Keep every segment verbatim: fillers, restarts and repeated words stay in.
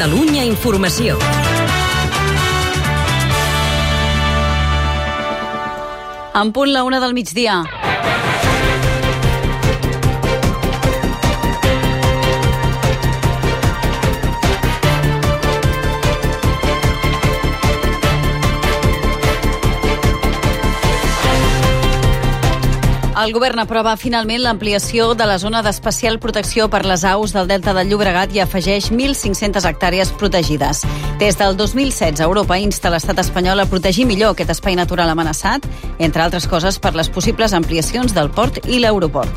Catalunya Informació. En punt la una del migdia. El govern aprova finalment l'ampliació de la zona d'especial protecció per les aus del Delta del Llobregat i afegeix mil cinc-centes hectàrees protegides. Des del dos mil setze, Europa insta l'estat espanyol a protegir millor aquest espai natural amenaçat, entre altres coses per les possibles ampliacions del port i l'aeroport.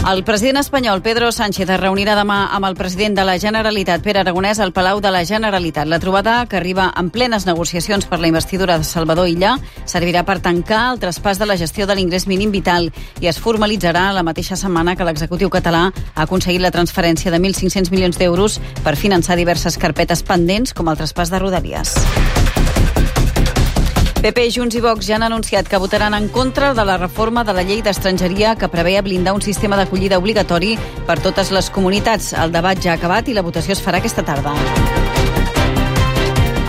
El president espanyol, Pedro Sánchez, es reunirà demà amb el president de la Generalitat, Pere Aragonès, al Palau de la Generalitat. La trobada, que arriba en plenes negociacions per la investidura de Salvador Illa, servirà per tancar el traspàs de la gestió de l'ingrés mínim vital i es formalitzarà la mateixa setmana que l'executiu català ha aconseguit la transferència de mil cinc-cents milions d'euros per finançar diverses carpetes pendents, com el traspàs de Rodalies. P P, Junts i Vox ja han anunciat que votaran en contra de la reforma de la llei d'estrangeria que preveia blindar un sistema d'acollida obligatori per totes les comunitats. El debat ja ha acabat i la votació es farà aquesta tarda.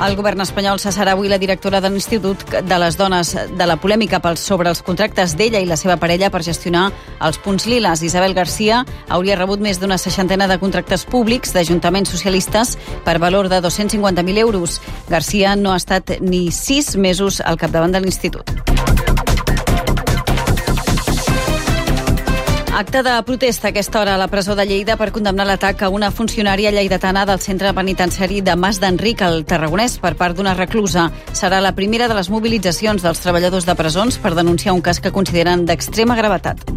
El govern espanyol cessarà avui la directora de l'Institut de les Dones de la polèmica sobre els contractes d'ella i la seva parella per gestionar els punts liles. Isabel García hauria rebut més d'una seixantena de contractes públics d'ajuntaments socialistes per valor de dos-cents cinquanta mil euros. García no ha estat ni sis mesos al capdavant de l'Institut. Acte de protesta a aquesta hora a la presó de Lleida per condemnar l'atac a una funcionària lleidatana del centre penitenciari de Mas d'Enric, al Tarragonès, per part d'una reclusa. Serà la primera de les mobilitzacions dels treballadors de presons per denunciar un cas que consideren d'extrema gravetat.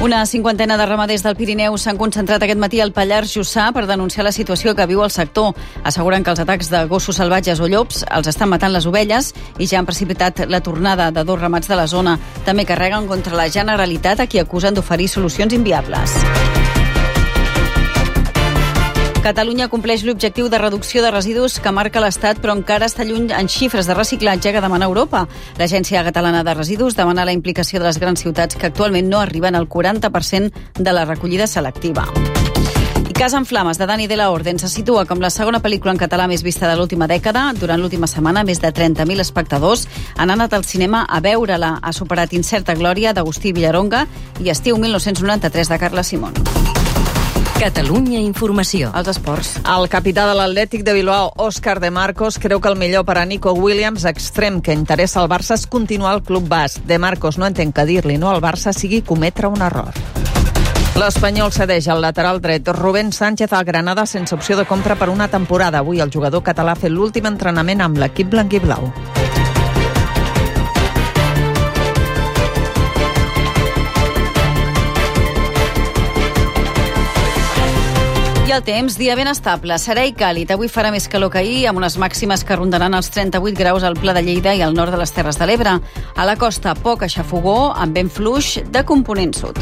Una cinquantena de ramaders del Pirineu s'han concentrat aquest matí al Pallars Jussà per denunciar la situació que viu el sector. Asseguren que els atacs de gossos salvatges o llops els estan matant les ovelles i ja han precipitat la tornada de dos ramats de la zona. També carreguen contra la Generalitat, a qui acusen d'oferir solucions inviables. Catalunya compleix l'objectiu de reducció de residus que marca l'Estat, però encara està lluny en xifres de reciclatge que demana Europa. L'Agència Catalana de Residus demana la implicació de les grans ciutats, que actualment no arriben al quaranta per cent de la recollida selectiva. I Casa en Flames, de Dani de la Orden, se situa com la segona pel·lícula en català més vista de l'última dècada. Durant l'última setmana, més de trenta mil espectadors han anat al cinema a veure-la. Ha superat Incerta Glòria, d'Agustí Villaronga, i Estiu mil nou-cents noranta-tres, de Carla Simón. Catalunya Informació. Els esports. El capità de l'Atlètic de Bilbao, Òscar de Marcos, creu que el millor per a Nico Williams, extrem que interessa al Barça, és continuar al club basc. De Marcos no entén que dir-li no al Barça sigui cometre un error. L'Espanyol cedeix al lateral dret Rubén Sánchez al Granada sense opció de compra per una temporada. Avui el jugador català ha fet l'últim entrenament amb l'equip blanquiblau. I el temps, dia ben estable, serè i càlid. Avui farà més calor que ahir, amb unes màximes que rondaran els trenta-vuit graus al Pla de Lleida i al nord de les Terres de l'Ebre. A la costa, poc aixafogó, amb vent fluix de component sud.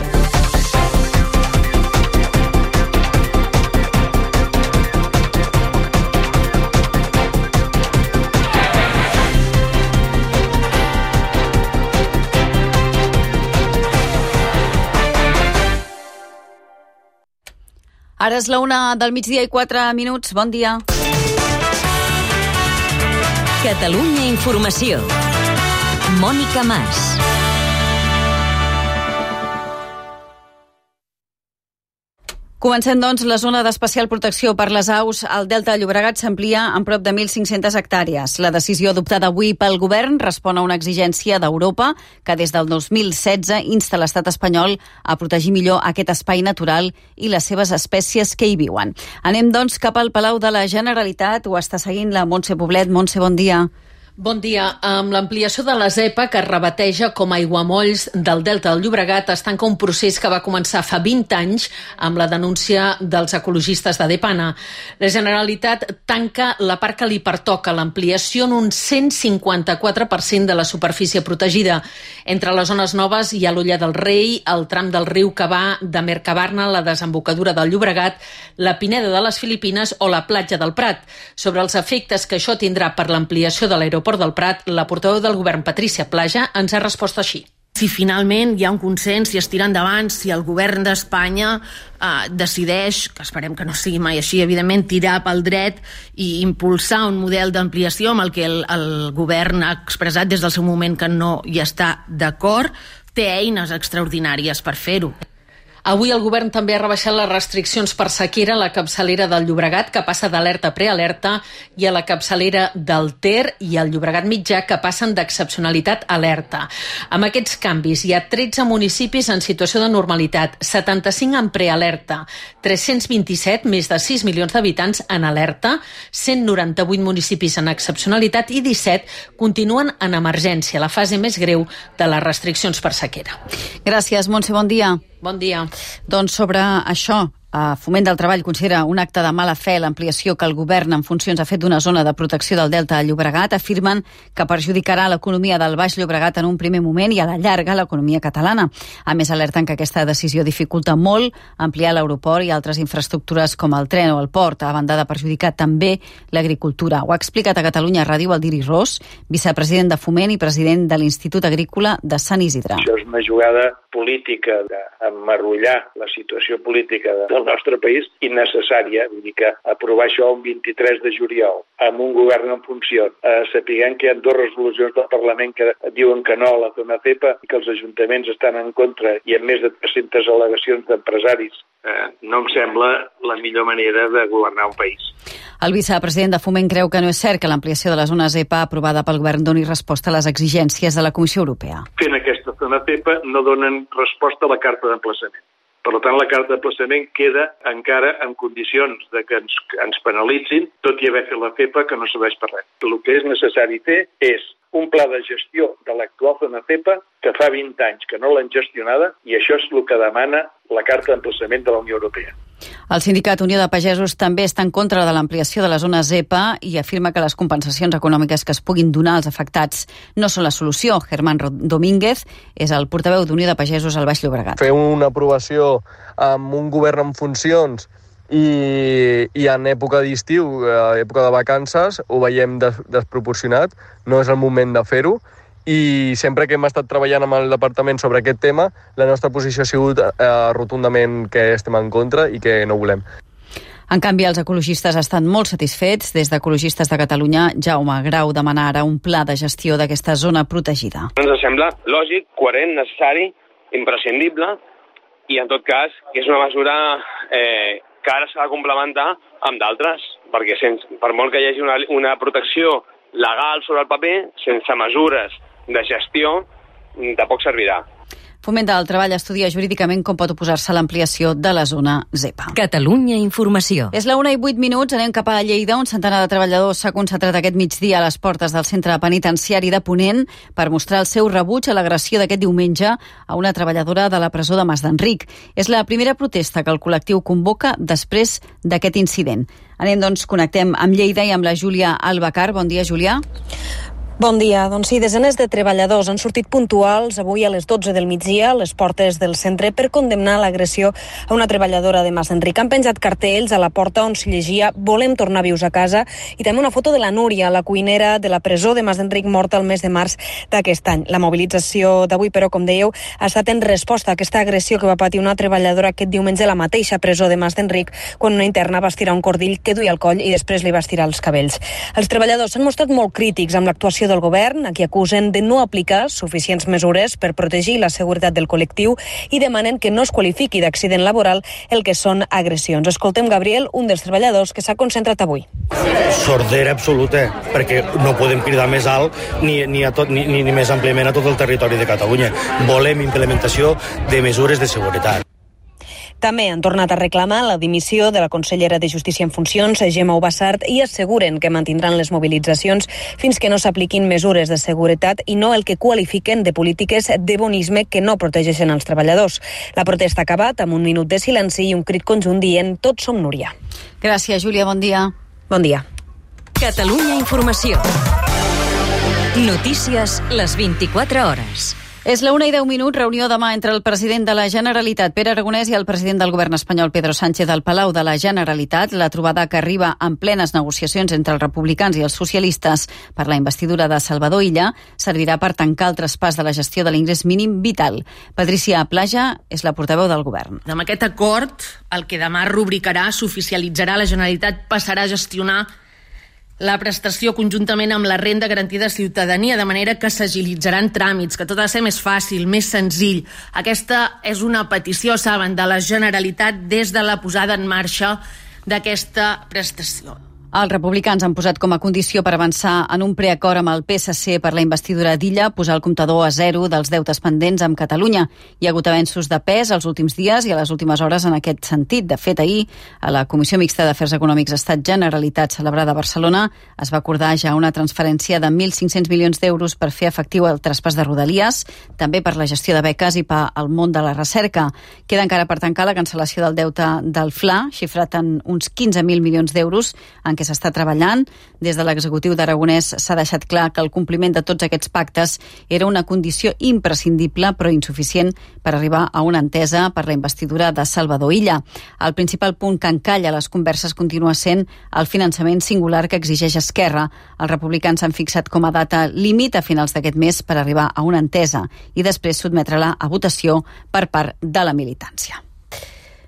Ara és la una del migdia i quatre minuts. Bon dia. Catalunya Informació. Mònica Mas. Comencem, doncs, la zona d'especial protecció per les aus al Delta de Llobregat s'amplia en prop de mil cinc-centes hectàrees. La decisió adoptada avui pel govern respon a una exigència d'Europa que des del dos mil setze insta l'estat espanyol a protegir millor aquest espai natural i les seves espècies que hi viuen. Anem, doncs, cap al Palau de la Generalitat. Ho està seguint la Montse Poblet. Montse, bon dia. Bon dia. Amb l'ampliació de la zepa, que es rebateja com a aiguamolls del Delta del Llobregat, es tanca un procés que va començar fa vint anys amb la denúncia dels ecologistes de Depana. La Generalitat tanca la part que li pertoca, l'ampliació en un cent cinquanta-quatre per cent de la superfície protegida. Entre les zones noves hi ha l'Olla del Rei, el tram del riu que va de Mercabarna a la desembocadura del Llobregat, la Pineda de les Filipines o la platja del Prat. Sobre els efectes que això tindrà per l'ampliació de l'aeroport Port del Prat, la portaveu del govern, Patrícia Plaja, ens ha respost així. Si finalment hi ha un consens, si es tira endavant, si el govern d'Espanya eh, decideix, que esperem que no sigui mai així, evidentment, tirar pel dret i impulsar un model d'ampliació amb el que el, el govern ha expressat des del seu moment que no hi està d'acord, té eines extraordinàries per fer-ho. Avui el govern també ha rebaixat les restriccions per sequera a la capçalera del Llobregat, que passa d'alerta a prealerta, i a la capçalera del Ter i al Llobregat mitjà, que passen d'excepcionalitat a alerta. Amb aquests canvis hi ha tretze municipis en situació de normalitat, setanta-cinc en prealerta, tres-cents vint-i-set, més de sis milions d'habitants, en alerta, cent noranta-vuit municipis en excepcionalitat i disset continuen en emergència, la fase més greu de les restriccions per sequera. Gràcies, Montse, bon dia. Bon dia. Doncs sobre això, Foment del Treball considera un acte de mala fe l'ampliació que el govern en funcions ha fet d'una zona de protecció del Delta del Llobregat. Afirmen que perjudicarà l'economia del Baix Llobregat en un primer moment i a la llarga l'economia catalana. A més, alerten que aquesta decisió dificulta molt ampliar l'aeroport i altres infraestructures com el tren o el port, a banda de perjudicar també l'agricultura. Ho ha explicat a Catalunya Ràdio el Diri Ros, vicepresident de Foment i president de l'Institut Agrícola de Sant Isidre. Això és una jugada política d'emmarrollar la situació política de el nostre país innecessària, vull dir que aprovar això el vint-i-tres de juliol amb un govern en funcions, eh, sapiguem que hi ha dues resolucions del Parlament que diuen que no a la zona CEPA i que els ajuntaments estan en contra i amb més de tres-centes al·legacions d'empresaris, eh, no em sembla la millor manera de governar un país. El vicepresident de Foment creu que no és cert que l'ampliació de la zona ZEPA aprovada pel govern doni resposta a les exigències de la Comissió Europea. Fent aquesta zona CEPA no donen resposta a la carta d'emplaçament. Per tant, la carta d'emplaçament queda encara en condicions de que ens, ens penalitzin, tot i haver fet la CEPA, que no serveix per res. El que és necessari fer és un pla de gestió de l'actual zona CEPA que fa vint anys que no l'han gestionada i això és el que demana la carta d'emplaçament de la Unió Europea. El sindicat Unió de Pagesos també està en contra de l'ampliació de la zona ZEPA i afirma que les compensacions econòmiques que es puguin donar als afectats no són la solució. Germán Domínguez és el portaveu d'Unió de Pagesos al Baix Llobregat. Fer una aprovació amb un govern en funcions i, i en època d'estiu, època de vacances, ho veiem des, desproporcionat, no és el moment de fer-ho. I sempre que hem estat treballant amb el departament sobre aquest tema, la nostra posició ha sigut eh, rotundament que estem en contra i que no volem. En canvi, els ecologistes estan molt satisfets. Des d'Ecologistes de Catalunya, Jaume Grau demana ara un pla de gestió d'aquesta zona protegida. Ens sembla lògic, coherent, necessari, imprescindible i, en tot cas, és una mesura eh, que ara s'ha de complementar amb d'altres, perquè sense, per molt que hi hagi una, una protecció legal sobre el paper, sense mesures de gestió, tampoc servirà. Foment del Treball estudia jurídicament com pot oposar-se a l'ampliació de la zona ZEPA. Catalunya Informació. És la una i vuit minuts, anem cap a Lleida. Un centenar de treballadors s'ha concentrat aquest migdia a les portes del centre penitenciari de Ponent per mostrar el seu rebuig a l'agressió d'aquest diumenge a una treballadora de la presó de Mas d'Enric. És la primera protesta que el col·lectiu convoca després d'aquest incident. Anem, doncs, connectem amb Lleida i amb la Júlia Albacar. Bon dia, Júlia. Bon dia. Doncs sí, desenes de treballadors han sortit puntuals avui a les dotze del migdia a les portes del centre per condemnar l'agressió a una treballadora de Mas d'Enric. Han penjat cartells a la porta on s'hi llegia "Volem tornar vius a casa" i també una foto de la Núria, la cuinera de la presó de Mas d'Enric, morta el mes de març d'aquest any. La mobilització d'avui, però, com dèieu, ha estat en resposta a aquesta agressió que va patir una treballadora aquest diumenge a la mateixa presó de Mas d'Enric, quan una interna va estirar un cordill que duia al coll i després li va estirar els cabells. Els treballadors s'han mostrat molt crítics amb l'actuació del govern, a qui acusen de no aplicar suficients mesures per protegir la seguretat del col·lectiu i demanen que no es qualifiqui d'accident laboral el que són agressions. Escoltem Gabriel, un dels treballadors que s'ha concentrat avui. Sordera absoluta, perquè no podem cridar més alt ni, ni, a tot, ni, ni més àmpliament a tot el territori de Catalunya. Volem implementació de mesures de seguretat. També han tornat a reclamar la dimissió de la consellera de Justícia en funcions, Gemma Ubassart, i asseguren que mantindran les mobilitzacions fins que no s'apliquin mesures de seguretat i no el que qualifiquen de polítiques de bonisme que no protegeixen els treballadors. La protesta ha acabat amb un minut de silenci i un crit conjunt dient "Tots som Núria". Gràcies, Júlia. Bon dia. Bon dia. Catalunya Informació. Notícies les vint-i-quatre hores. És la una i deu minuts, reunió demà entre el president de la Generalitat, Pere Aragonès, i el president del govern espanyol, Pedro Sánchez, al Palau de la Generalitat. La trobada, que arriba en plenes negociacions entre els republicans i els socialistes per la investidura de Salvador Illa, servirà per tancar el traspàs de la gestió de l'ingrés mínim vital. Patricia Plaja és la portaveu del govern. Amb aquest acord, el que demà rubricarà, s'oficialitzarà, la Generalitat passarà a gestionar la prestació conjuntament amb la renda garantida de ciutadania, de manera que s'agilitzaran tràmits, que tot ha de ser més fàcil, més senzill. Aquesta és una petició, saben, de la Generalitat des de la posada en marxa d'aquesta prestació. Els republicans han posat com a condició per avançar en un preacord amb el P S C per la investidura d'Illa posar el comptador a zero dels deutes pendents amb Catalunya. Hi ha hagut avenços de pes els últims dies i a les últimes hores en aquest sentit. De fet, ahir, a la Comissió Mixta d'Afers Econòmics Estat Generalitat celebrada a Barcelona, es va acordar ja una transferència de mil cinc-cents milions d'euros per fer efectiu el traspàs de Rodalies, també per la gestió de beques i per al món de la recerca. Queda encara per tancar la cancel·lació del deute del F L A, xifrat en uns quinze mil milions d'euros, en que s'està treballant. Des de l'executiu d'Aragonès s'ha deixat clar que el compliment de tots aquests pactes era una condició imprescindible però insuficient per arribar a una entesa per la investidura de Salvador Illa. El principal punt que encalla les converses continua sent el finançament singular que exigeix Esquerra. Els republicans s'han fixat com a data límit a finals d'aquest mes per arribar a una entesa i després sotmetre-la a votació per part de la militància.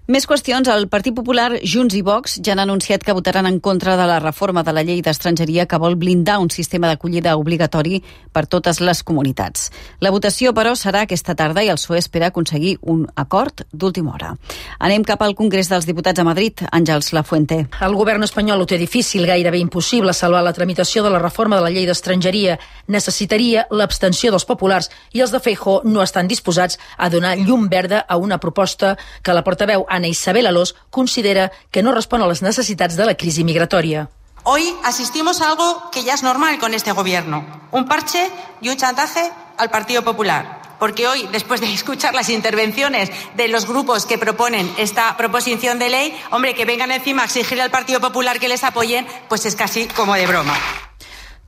Més qüestions. El Partit Popular, Junts i Vox ja han anunciat que votaran en contra de la reforma de la llei d'estrangeria que vol blindar un sistema d'acollida obligatori per totes les comunitats. La votació, però, serà aquesta tarda i el P S O E espera aconseguir un acord d'última hora. Anem cap al Congrés dels Diputats a Madrid. Àngels Lafuente. El govern espanyol ho té difícil, gairebé impossible salvar la tramitació de la reforma de la llei d'estrangeria. Necessitaria l'abstenció dels populars i els de Feijóo no estan disposats a donar llum verda a una proposta que la portaveu Ana Isabel Alós considera que no respon a las necesidades de la crisis migratoria. Hoy asistimos a algo que ya es normal con este gobierno, un parche y un chantaje al Partido Popular. Porque hoy, después de escuchar las intervenciones de los grupos que proponen esta proposición de ley, hombre, que vengan encima a exigirle al Partido Popular que les apoyen, pues es casi como de broma.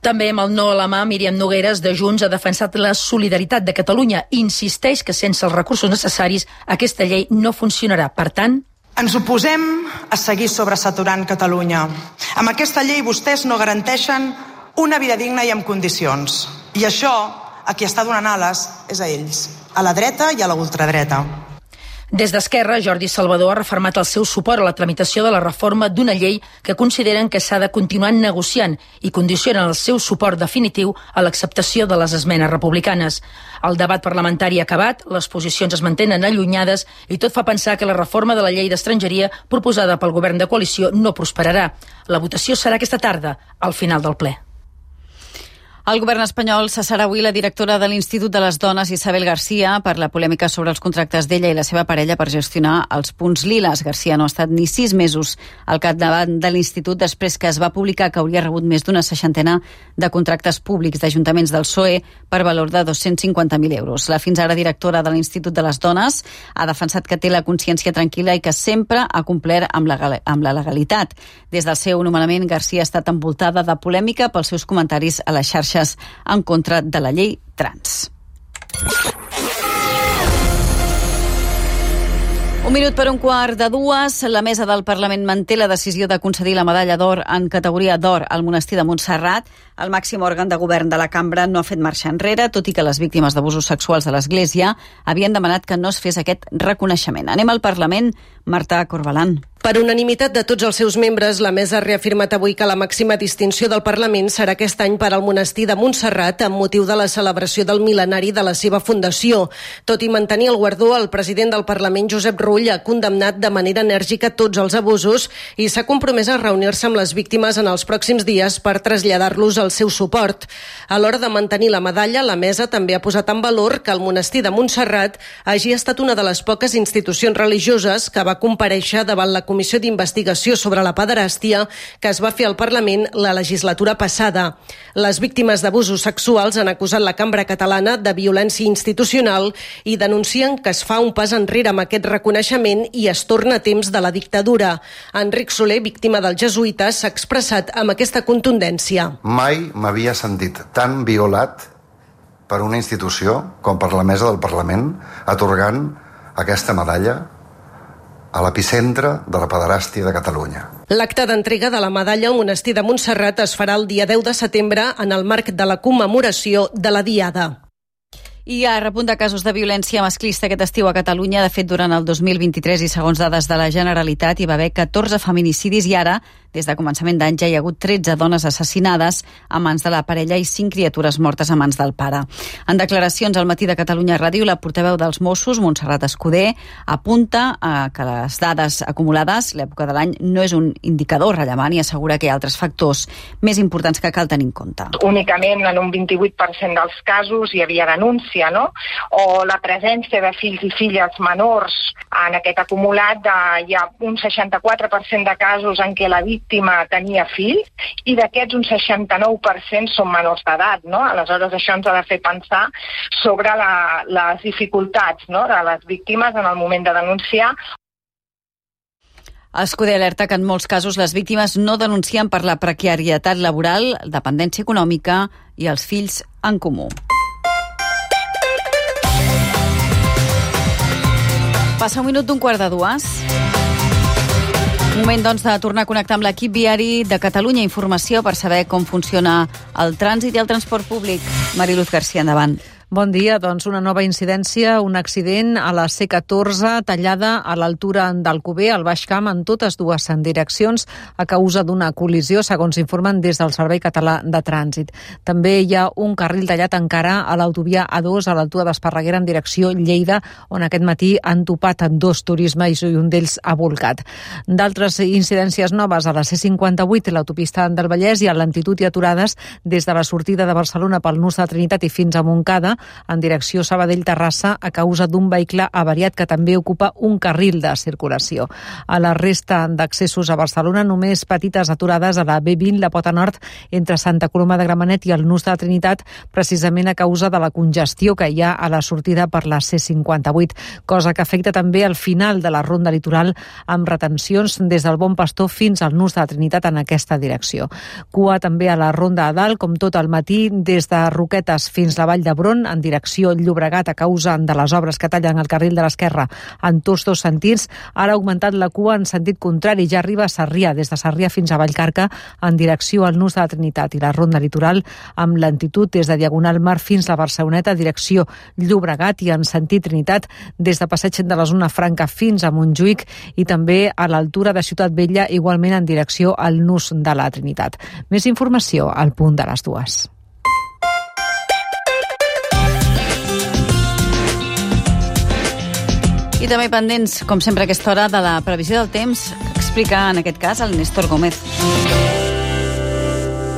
També amb el no a la mà, Míriam Nogueras, de Junts, ha defensat la solidaritat de Catalunya. Insisteix que sense els recursos necessaris aquesta llei no funcionarà. Per tant, ens oposem a seguir sobresaturant Catalunya. Amb aquesta llei vostès no garanteixen una vida digna i amb condicions. I això, a qui està donant ales, és a ells, a la dreta i a la ultradreta. Des d'Esquerra, Jordi Salvador ha refermat el seu suport a la tramitació de la reforma d'una llei que consideren que s'ha de continuar negociant i condicionen el seu suport definitiu a l'acceptació de les esmenes republicanes. El debat parlamentari ha acabat, les posicions es mantenen allunyades i tot fa pensar que la reforma de la llei d'estrangeria proposada pel govern de coalició no prosperarà. La votació serà aquesta tarda, al final del ple. El govern espanyol cessarà avui la directora de l'Institut de les Dones, Isabel García, per la polèmica sobre els contractes d'ella i la seva parella per gestionar els punts liles. García no ha estat ni sis mesos al capdavant de l'Institut després que es va publicar que hauria rebut més d'una seixantena de contractes públics d'ajuntaments del P S O E per valor de dos-cents cinquanta mil euros. La fins ara directora de l'Institut de les Dones ha defensat que té la consciència tranquil·la i que sempre ha complert amb la, amb la legalitat. Des del seu nomenament, García ha estat envoltada de polèmica pels seus comentaris a les xarxes en contra de la llei trans. Un minut per un quart de dues. La mesa del Parlament manté la decisió de concedir la medalla d'or en categoria d'or al monestir de Montserrat. El màxim òrgan de govern de la cambra no ha fet marxa enrere, tot i que les víctimes d'abusos sexuals de l'Església havien demanat que no es fes aquest reconeixement. Anem al Parlament. Marta Corbalan. Per unanimitat de tots els seus membres, la mesa ha reafirmat avui que la màxima distinció del Parlament serà aquest any per al monestir de Montserrat amb motiu de la celebració del mil·lenari de la seva fundació. Tot i mantenir el guardó, el president del Parlament, Josep Rull, ha condemnat de manera enèrgica tots els abusos i s'ha compromès a reunir-se amb les víctimes en els pròxims dies per traslladar-los el seu suport. A l'hora de mantenir la medalla, la mesa també ha posat en valor que el monestir de Montserrat hagi estat una de les poques institucions religioses que va comparèixer davant la Comissió d'Investigació sobre la Pederàstia que es va fer al Parlament la legislatura passada. Les víctimes d'abusos sexuals han acusat la Cambra Catalana de violència institucional i denuncien que es fa un pas enrere amb aquest reconeixement i es torna a temps de la dictadura. Enric Soler, víctima dels jesuïtes, s'ha expressat amb aquesta contundència. Mai m'havia sentit tan violat per una institució com per la mesa del Parlament atorgant aquesta medalla a l'epicentre de la pederàstia de Catalunya. L'acte d'entrega de la medalla al monestir de Montserrat es farà el dia deu de setembre en el marc de la commemoració de la Diada. Hi ha repunt de casos de violència masclista aquest estiu a Catalunya. De fet, durant el dos mil vint-i-tres i segons dades de la Generalitat hi va haver catorze feminicidis i ara, des de començament d'any, ja hi ha hagut tretze dones assassinades a mans de la parella i cinc criatures mortes a mans del pare. En declaracions al Matí de Catalunya Ràdio, la portaveu dels Mossos, Montserrat Escudé, apunta a que les dades acumulades, l'època de l'any, no és un indicador rellevant i assegura que hi ha altres factors més importants que cal tenir en compte. Únicament en un vint-i-vuit per cent dels casos hi havia denúncia, no? O la presència de fills i filles menors en aquest acumulat, de, hi ha un seixanta-quatre per cent de casos en què la víctima tenia fill i d'aquests un seixanta-nou per cent són menors d'edat, no? Aleshores això ens ha de fer pensar sobre la, les dificultats, no? De les víctimes en el moment de denunciar. Escudé alerta que en molts casos les víctimes no denuncien per la precarietat laboral, dependència econòmica i els fills en comú. Passa un minut d'un quart de dues. Moment, doncs, de tornar a connectar amb l'equip viari de Catalunya Informació per saber com funciona el trànsit i el transport públic. Mariluz García, endavant. Bon dia, doncs una nova incidència, un accident a la C catorze tallada a l'altura d'Alcover, al Baix Camp, en totes dues direccions a causa d'una col·lisió, segons informen des del Servei Català de Trànsit. També hi ha un carril tallat encara a l'autovia A dos a l'altura d'Esparreguera en direcció Lleida, on aquest matí han topat dos turismes i un d'ells ha volcat. D'altres incidències noves a la C cinquanta-vuit, l'autopista del Vallès, i a lentitud i aturades des de la sortida de Barcelona pel nus de Trinitat i fins a Montcada, en direcció Sabadell-Terrassa a causa d'un vehicle avariat que també ocupa un carril de circulació. A la resta d'accessos a Barcelona, només petites aturades a la B vint, la Pota Nord, entre Santa Coloma de Gramenet i el nus de Trinitat, precisament a causa de la congestió que hi ha a la sortida per la C cinquanta-vuit, cosa que afecta també al final de la ronda litoral amb retencions des del Bon Pastor fins al nus de Trinitat en aquesta direcció. Cua també a la ronda a dalt, com tot el matí, des de Roquetes fins la Vall d'Hebron, en direcció Llobregat a causa de les obres que tallen el carril de l'esquerra en tots dos sentits. Ara ha augmentat la cua en sentit contrari, ja arriba a Sarrià, des de Sarrià fins a Vallcarca en direcció al nus de la Trinitat, i la ronda litoral amb lentitud des de Diagonal Mar fins a Barceloneta, direcció Llobregat, i en sentit Trinitat des de Passeig de la Zona Franca fins a Montjuïc i també a l'altura de Ciutat Vella, igualment en direcció al nus de la Trinitat. Més informació al punt de les dues. I també pendents, com sempre a aquesta hora, de la previsió del temps, que explica en aquest cas el Néstor Gómez.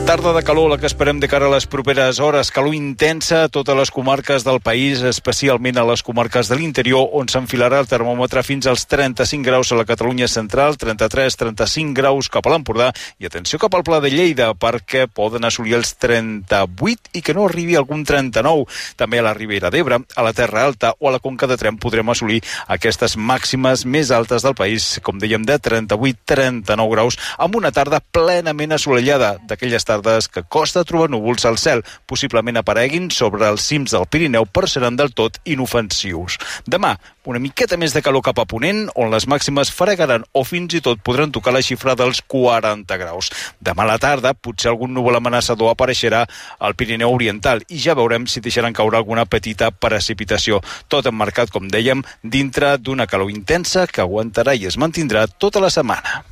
Tarda de calor, la que esperem de cara a les properes hores. Calor intensa a totes les comarques del país, especialment a les comarques de l'interior, on s'enfilarà el termòmetre fins als trenta-cinc graus a la Catalunya central, trenta-tres trenta-cinc graus cap a l'Empordà, i atenció cap al Pla de Lleida, perquè poden assolir els trenta-vuit i que no arribi algun trenta-nou. També a la Ribera d'Ebre, a la Terra Alta o a la Conca de Tremp podrem assolir aquestes màximes més altes del país, com dèiem, de trenta-vuit trenta-nou graus, amb una tarda plenament assolellada, d'aquelles tardes que costa trobar núvols al cel, possiblement apareguin sobre els cims del Pirineu, però seran del tot inofensius. Demà, una miqueta més de calor cap a ponent, on les màximes fregaran o fins i tot podran tocar la xifra dels quaranta graus. Demà a la tarda, potser algun núvol amenaçador apareixerà al Pirineu Oriental i ja veurem si deixaran caure alguna petita precipitació. Tot emmarcat, com dèiem, dintre d'una calor intensa que aguantarà i es mantindrà tota la setmana.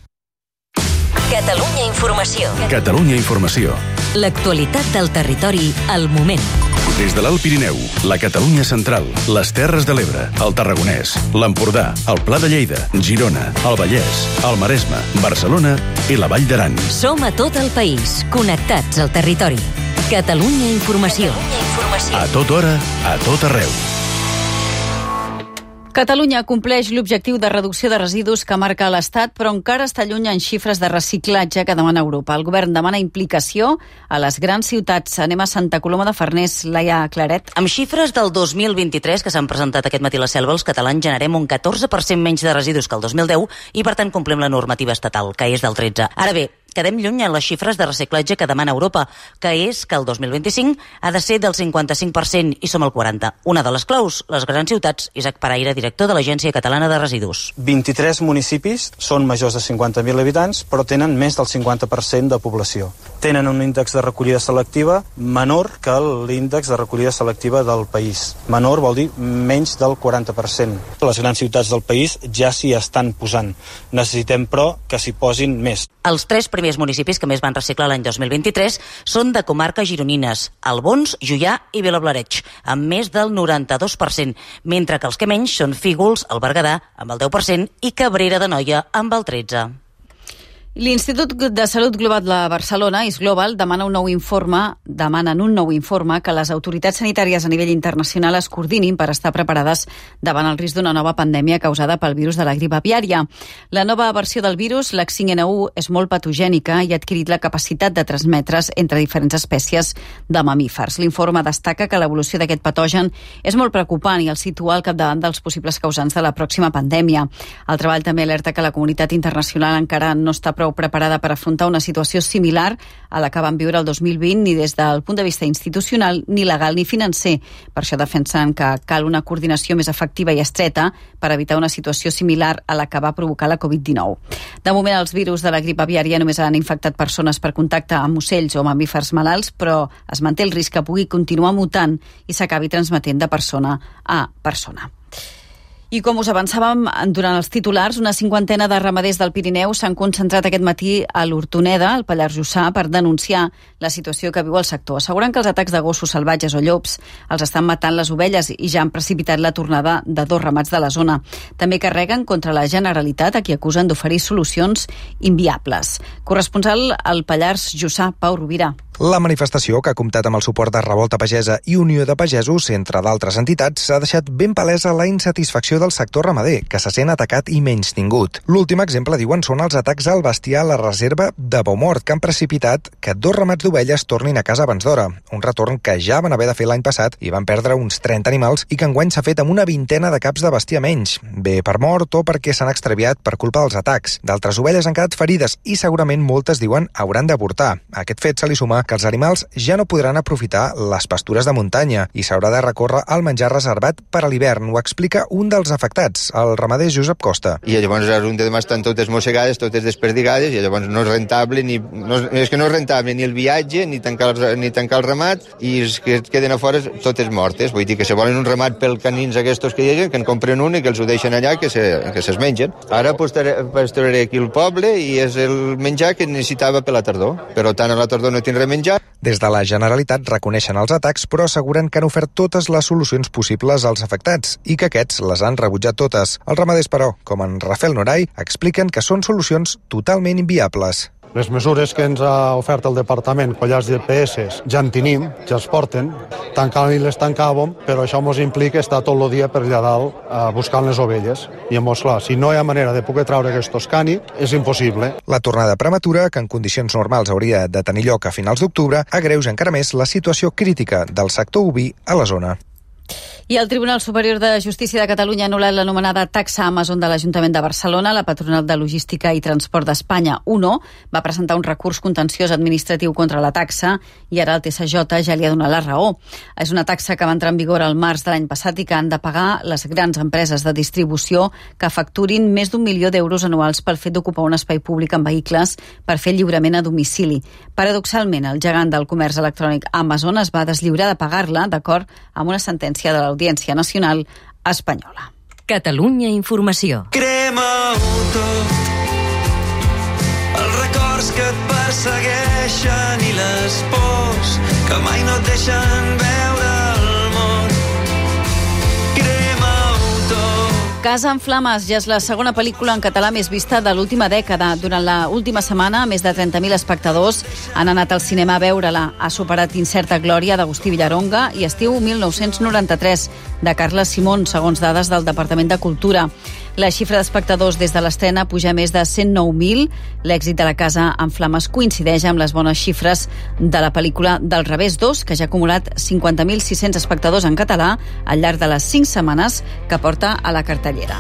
Catalunya Informació. Catalunya Informació. L'actualitat del territori al moment. Des de l'Alt Pirineu, la Catalunya central, les Terres de l'Ebre, el Tarragonès, l'Empordà, el Pla de Lleida, Girona, el Vallès, el Maresme, Barcelona i la Vall d'Aran. Som a tot el país, connectats al territori. Catalunya Informació. Catalunya Informació. A tota hora, a tot arreu. Catalunya compleix l'objectiu de reducció de residus que marca l'Estat, però encara està lluny en xifres de reciclatge que demana Europa. El govern demana implicació a les grans ciutats. Anem a Santa Coloma de Farners, Laia Claret. Amb xifres del dos mil vint-i-tres que s'han presentat aquest matí a la Selva, els catalans generem un catorze per cent menys de residus que el dos mil deu i, per tant, complim la normativa estatal, que és del tretze. Ara bé, quedem lluny en les xifres de reciclatge que demana Europa, que és que el dos mil vint-i-cinc ha de ser del cinquanta-cinc per cent i som al quaranta per cent. Una de les claus, les grans ciutats. Isaac Paraire, director de l'Agència Catalana de Residus. vint-i-tres municipis són majors de cinquanta mil habitants, però tenen més del cinquanta per cent de població. Tenen un índex de recollida selectiva menor que l'índex de recollida selectiva del país. Menor vol dir menys del quaranta per cent. Les grans ciutats del país ja s'hi estan posant. Necessitem, però, que s'hi posin més. Els tres primers municipis que més van reciclar l'any dos mil vint-i-tres són de comarques gironines, Albons, Juià i Vilablareix, amb més del noranta-dos per cent, mentre que els que menys són Fígols, el Berguedà, amb el deu per cent, i Cabrera d'Anoia, amb el tretze per cent. L'Institut de Salut Global de Barcelona, ISGlobal, demana un nou informe, demanen un nou informe que les autoritats sanitàries a nivell internacional es coordinin per estar preparades davant el risc d'una nova pandèmia causada pel virus de la grip aviària. La nova versió del virus, l'H cinc N u, és molt patogènica i ha adquirit la capacitat de transmetre's entre diferents espècies de mamífers. L'informe destaca que l'evolució d'aquest patogen és molt preocupant i el situa al capdavant dels possibles causants de la pròxima pandèmia. El treball també alerta que la comunitat internacional encara no està prou preparada per afrontar una situació similar a la que van viure el dos mil vint, ni des del punt de vista institucional, ni legal ni financer. Per això defensen que cal una coordinació més efectiva i estreta per evitar una situació similar a la que va provocar la covid dinou. De moment, els virus de la grip aviària només han infectat persones per contacte amb ocells o mamífers malalts, però es manté el risc que pugui continuar mutant i s'acabi transmetent de persona a persona. I com us avançàvem durant els titulars, una cinquantena de ramaders del Pirineu s'han concentrat aquest matí a l'Hortoneda, al Pallars Jussà, per denunciar la situació que viu el sector. Asseguren que els atacs de gossos salvatges o llops els estan matant les ovelles i ja han precipitat la tornada de dos ramats de la zona. També carreguen contra la Generalitat, a qui acusen d'oferir solucions inviables. Corresponsal al Pallars Jussà, Pau Rovira. La manifestació, que ha comptat amb el suport de Revolta Pagesa i Unió de Pagesos, entre d'altres entitats, ha deixat ben palesa la insatisfacció del sector ramader, que se sent atacat i menystingut. L'últim exemple, diuen, són els atacs al bestiar a la reserva de Baumort, que han precipitat que dos ramats d'ovelles tornin a casa abans d'hora. Un retorn que ja van haver de fer l'any passat i van perdre uns trenta animals i que enguany s'ha fet amb una vintena de caps de bestiar menys, bé per mort o perquè s'han extraviat per culpa dels atacs. D'altres ovelles han quedat ferides i segurament moltes, diuen, hauran d'avortar. A aquest fet se li suma que els animals ja no podran aprofitar les pastures de muntanya i s'haurà de recórrer al menjar reservat per a l'hivern. Ho explica un dels afectats, el ramader Josep Costa. I llavors les un de demà estan totes mossegades, totes desperdigades, i llavors no és rentable, ni, no, és que no és rentable ni el viatge, ni tancar el, ni tancar el ramat, i els que queden a fora totes mortes. Vull dir que si volen un ramat pel canins aquests que hi ha, que en compren un i que els ho deixen allà, que se, que se'ls mengen. Ara pastoraré aquí el poble i és el menjar que necessitava per la tardor. Però tant a la tardor no tindré menjar. Des de la Generalitat reconeixen els atacs, però asseguren que han ofert totes les solucions possibles als afectats i que aquests les han rebutjat totes. Els ramaders, però, com en Rafael Noray, expliquen que són solucions totalment inviables. Les mesures que ens ha ofert el Departament, collars de P S, ja en tenim, ja es porten, tancant i les tancàvem, però això ens implica estar tot el dia per allà dalt eh, buscant les ovelles. I llavors, clar, si no hi ha manera de poder treure aquests cani, és impossible. La tornada prematura, que en condicions normals hauria de tenir lloc a finals d'octubre, agreuja encara més la situació crítica del sector oví a la zona. I el Tribunal Superior de Justícia de Catalunya ha anul·lat l'anomenada taxa Amazon de l'Ajuntament de Barcelona. La Patronal de Logística i Transport d'Espanya, UNO, va presentar un recurs contenciós administratiu contra la taxa i ara el T S J ja li ha donat la raó. És una taxa que va entrar en vigor al març de l'any passat i que han de pagar les grans empreses de distribució que facturin més d'un milió d'euros anuals pel fet d'ocupar un espai públic amb vehicles per fer lliurament a domicili. Paradoxalment, el gegant del comerç electrònic Amazon es va deslliurar de pagar-la d'acord amb una sentència de l'Audiència Nacional espanyola. Catalunya Informació. Crema-ho tot, els records que et persegueixen i les pors que mai no et deixen veure el món. Crema-ho tot. Casa en flames ja és la segona pel·lícula en català més vista de l'última dècada. Durant l'última setmana, més de trenta mil espectadors han anat al cinema a veure-la. Ha superat Incerta Glòria d'Agustí Villaronga i Estiu mil nou-cents noranta-tres de Carles Simón, segons dades del Departament de Cultura. La xifra d'espectadors des de l'estrena puja a més de cent nou mil. L'èxit de la Casa en flames coincideix amb les bones xifres de la pel·lícula Del revés dos, que ja ha acumulat cinquanta mil sis-cents espectadors en català al llarg de les cinc setmanes que porta a la cartellera.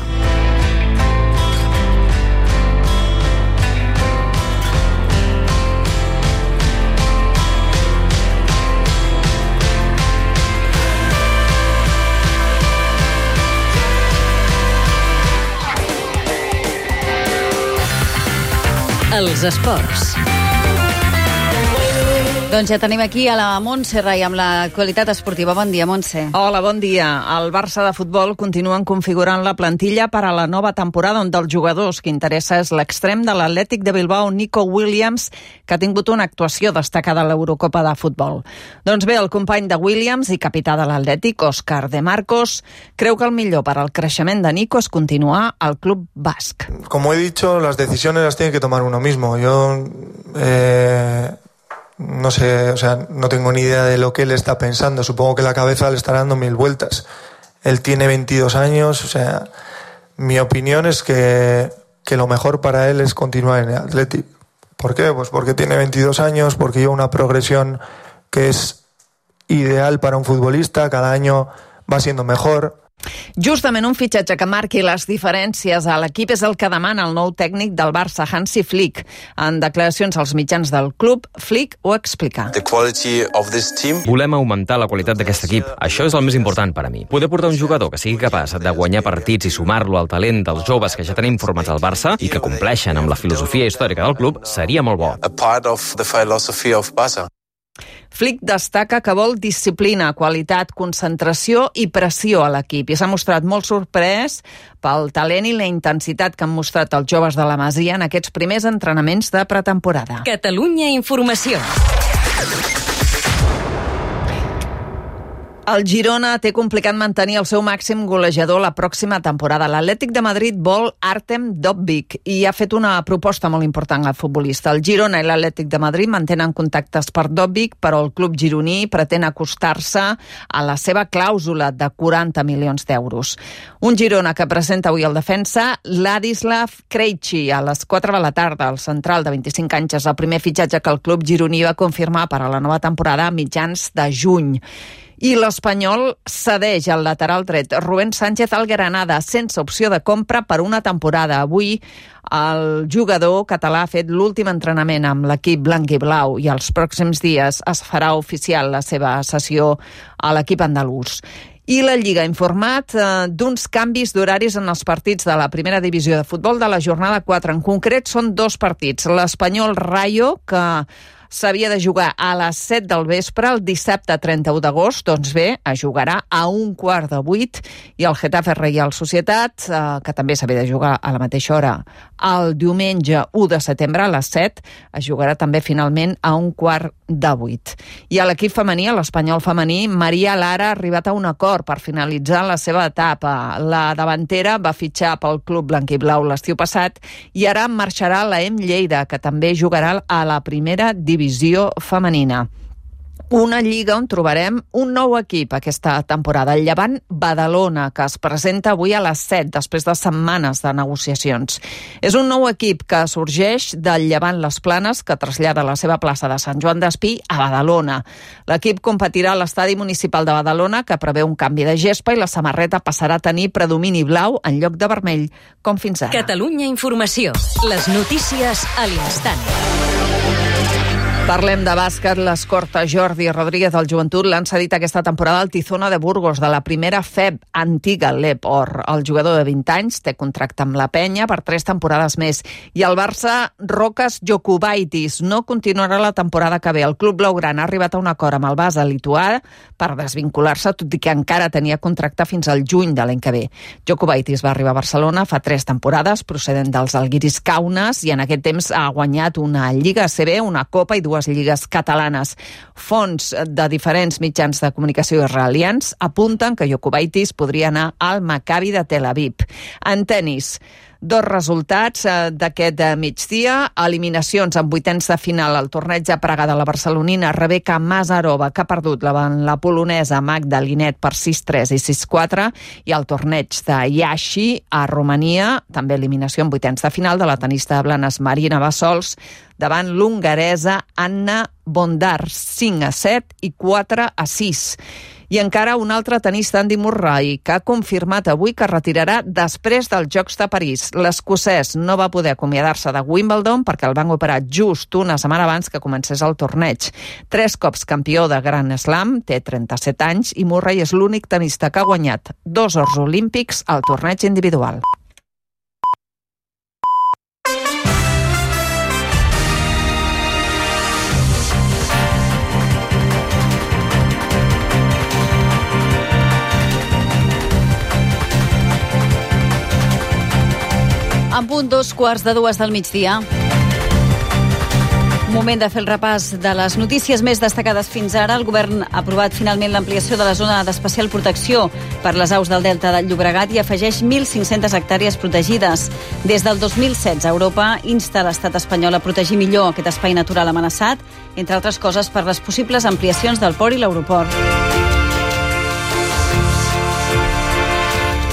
Els esports. Doncs ja tenim aquí a la Montse Rai amb l'actualitat esportiva. Bon dia, Montse. Hola, bon dia. El Barça de futbol continuen configurant la plantilla per a la nova temporada, on dels jugadors que interessa és l'extrem de l'Atlètic de Bilbao, Nico Williams, que ha tingut una actuació destacada a l'Eurocopa de futbol. Doncs bé, el company de Williams i capità de l'Atlètic, Óscar de Marcos, creu que el millor per al creixement de Nico és continuar al club basc. Como he dicho, las decisiones las tiene que tomar uno mismo. Yo... Eh... No sé, o sea, no tengo ni idea de lo que él está pensando. Supongo que la cabeza le estará dando mil vueltas. Él tiene veintidós años, o sea, mi opinión es que, que lo mejor para él es continuar en el Athletic. ¿Por qué? Pues porque tiene veintidós años, porque lleva una progresión que es ideal para un futbolista, cada año va siendo mejor. Justament un fitxatge que marqui les diferències a l'equip és el que demana el nou tècnic del Barça, Hansi Flick. En declaracions als mitjans del club, Flick ho explica. Volem augmentar la qualitat d'aquest equip. Això és el més important per a mi. Poder portar un jugador que sigui capaç de guanyar partits i sumar-lo al talent dels joves que ja tenim formats al Barça i que compleixen amb la filosofia històrica del club seria molt bo. Flick destaca que vol disciplina, qualitat, concentració i pressió a l'equip i s'ha mostrat molt sorprès pel talent i la intensitat que han mostrat els joves de la Masia en aquests primers entrenaments de pretemporada. Catalunya Informació. El Girona té complicat mantenir el seu màxim golejador la pròxima temporada. L'Atlètic de Madrid vol Artem Dovbyk i ha fet una proposta molt important al futbolista. El Girona i l'Atlètic de Madrid mantenen contactes per Dovbyk, però el club gironí pretén acostar-se a la seva clàusula de quaranta milions d'euros. Un Girona que presenta avui el defensa Ladislav Krejci a les quatre de la tarda. El central de vint-i-cinc anys és el primer fitxatge que el club gironí va confirmar per a la nova temporada a mitjans de juny. I l'Espanyol cedeix al lateral dret Rubén Sánchez al Granada sense opció de compra per una temporada. Avui el jugador català ha fet l'últim entrenament amb l'equip blanc i blau i els pròxims dies es farà oficial la seva cessió a l'equip andalús. I la Lliga ha informat eh, d'uns canvis d'horaris en els partits de la primera divisió de futbol de la jornada quatre. En concret, són dos partits. L'Espanyol Rayo, que s'havia de jugar a les set del vespre el dissabte trenta-u d'agost, doncs bé, es jugarà a un quart de vuit, i el Getafe Reial Societat, eh, que també s'havia de jugar a la mateixa hora el diumenge u de setembre a les set, es jugarà també finalment a un quart de vuit. I a l'equip femení, a l'Espanyol femení, Maria Lara ha arribat a un acord per finalitzar la seva etapa. La davantera va fitxar pel club blanquiblau l'estiu passat i ara marxarà a l'A E M Lleida, que també jugarà a la primera divisió femenina. Una lliga on trobarem un nou equip aquesta temporada, el Llevant Badalona, que es presenta avui a les set, després de setmanes de negociacions. És un nou equip que sorgeix del Llevant Les Planes, que trasllada la seva plaça de Sant Joan d'Espí a Badalona. L'equip competirà a l'estadi municipal de Badalona, que preveu un canvi de gespa, i la samarreta passarà a tenir predomini blau en lloc de vermell, com fins ara. Catalunya Informació. Les notícies a l'instant. Parlem de bàsquet. L'escorta Jordi Rodríguez del Joventut l'han cedit aquesta temporada al Tizona de Burgos, de la primera F E B, antiga L E P Or. El jugador de vint anys té contracte amb la penya per tres temporades més. I el Barça, Rokas Jokubaitis, no continuarà la temporada que ve. El club blaugrana ha arribat a un acord amb el Basa lituà per desvincular-se, tot i que encara tenia contracte fins al juny de l'any que ve. Jokubaitis va arribar a Barcelona fa tres temporades, procedent dels Algiris Kaunas, i en aquest temps ha guanyat una Lliga A C B, una Copa i dues lligues catalanes. Fonts de diferents mitjans de comunicació israelians apunten que Jokubaitis podria anar al Maccabi de Tel Aviv. En tenis, dos resultats d'aquest migdia. Eliminacions en vuitens de final al torneig de Praga de la barcelonina Rebeka Mazarova, que ha perdut davant la polonesa Magda Linet per sis tres i sis quatre, i el torneig de Iași a Romania, també eliminació en vuitens de final de la tenista de Blanes Marina Bassols davant l'hongaresa Anna Bondar, cinc a set i quatre a sis. I encara un altre tenista, Andy Murray, que ha confirmat avui que retirarà després dels Jocs de París. L'escocès no va poder acomiadar-se de Wimbledon perquè el van operar just una setmana abans que comencés el torneig. Tres cops campió de Grand Slam, té trenta-set anys, i Murray és l'únic tenista que ha guanyat dos ors olímpics al torneig individual. En punt dos quarts de dues del migdia. Moment de fer el repàs de les notícies més destacades fins ara. El govern ha aprovat finalment l'ampliació de la zona d'especial protecció per les aus del Delta del Llobregat i afegeix mil cinc-centes hectàrees protegides. Des del dos mil setze, Europa insta l'estat espanyol a protegir millor aquest espai natural amenaçat, entre altres coses per les possibles ampliacions del port i l'aeroport.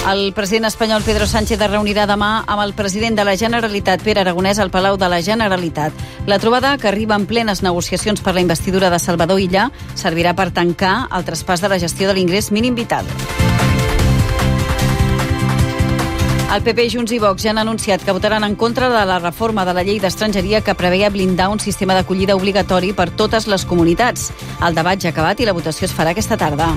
El president espanyol Pedro Sánchez es reunirà demà amb el president de la Generalitat, Pere Aragonès, al Palau de la Generalitat. La trobada, que arriba en plenes negociacions per la investidura de Salvador Illa, servirà per tancar el traspàs de la gestió de l'ingrés mínim vital. El P P, Junts i Vox ja han anunciat que votaran en contra de la reforma de la llei d'estrangeria que preveia blindar un sistema d'acollida obligatori per totes les comunitats. El debat ja ha acabat i la votació es farà aquesta tarda.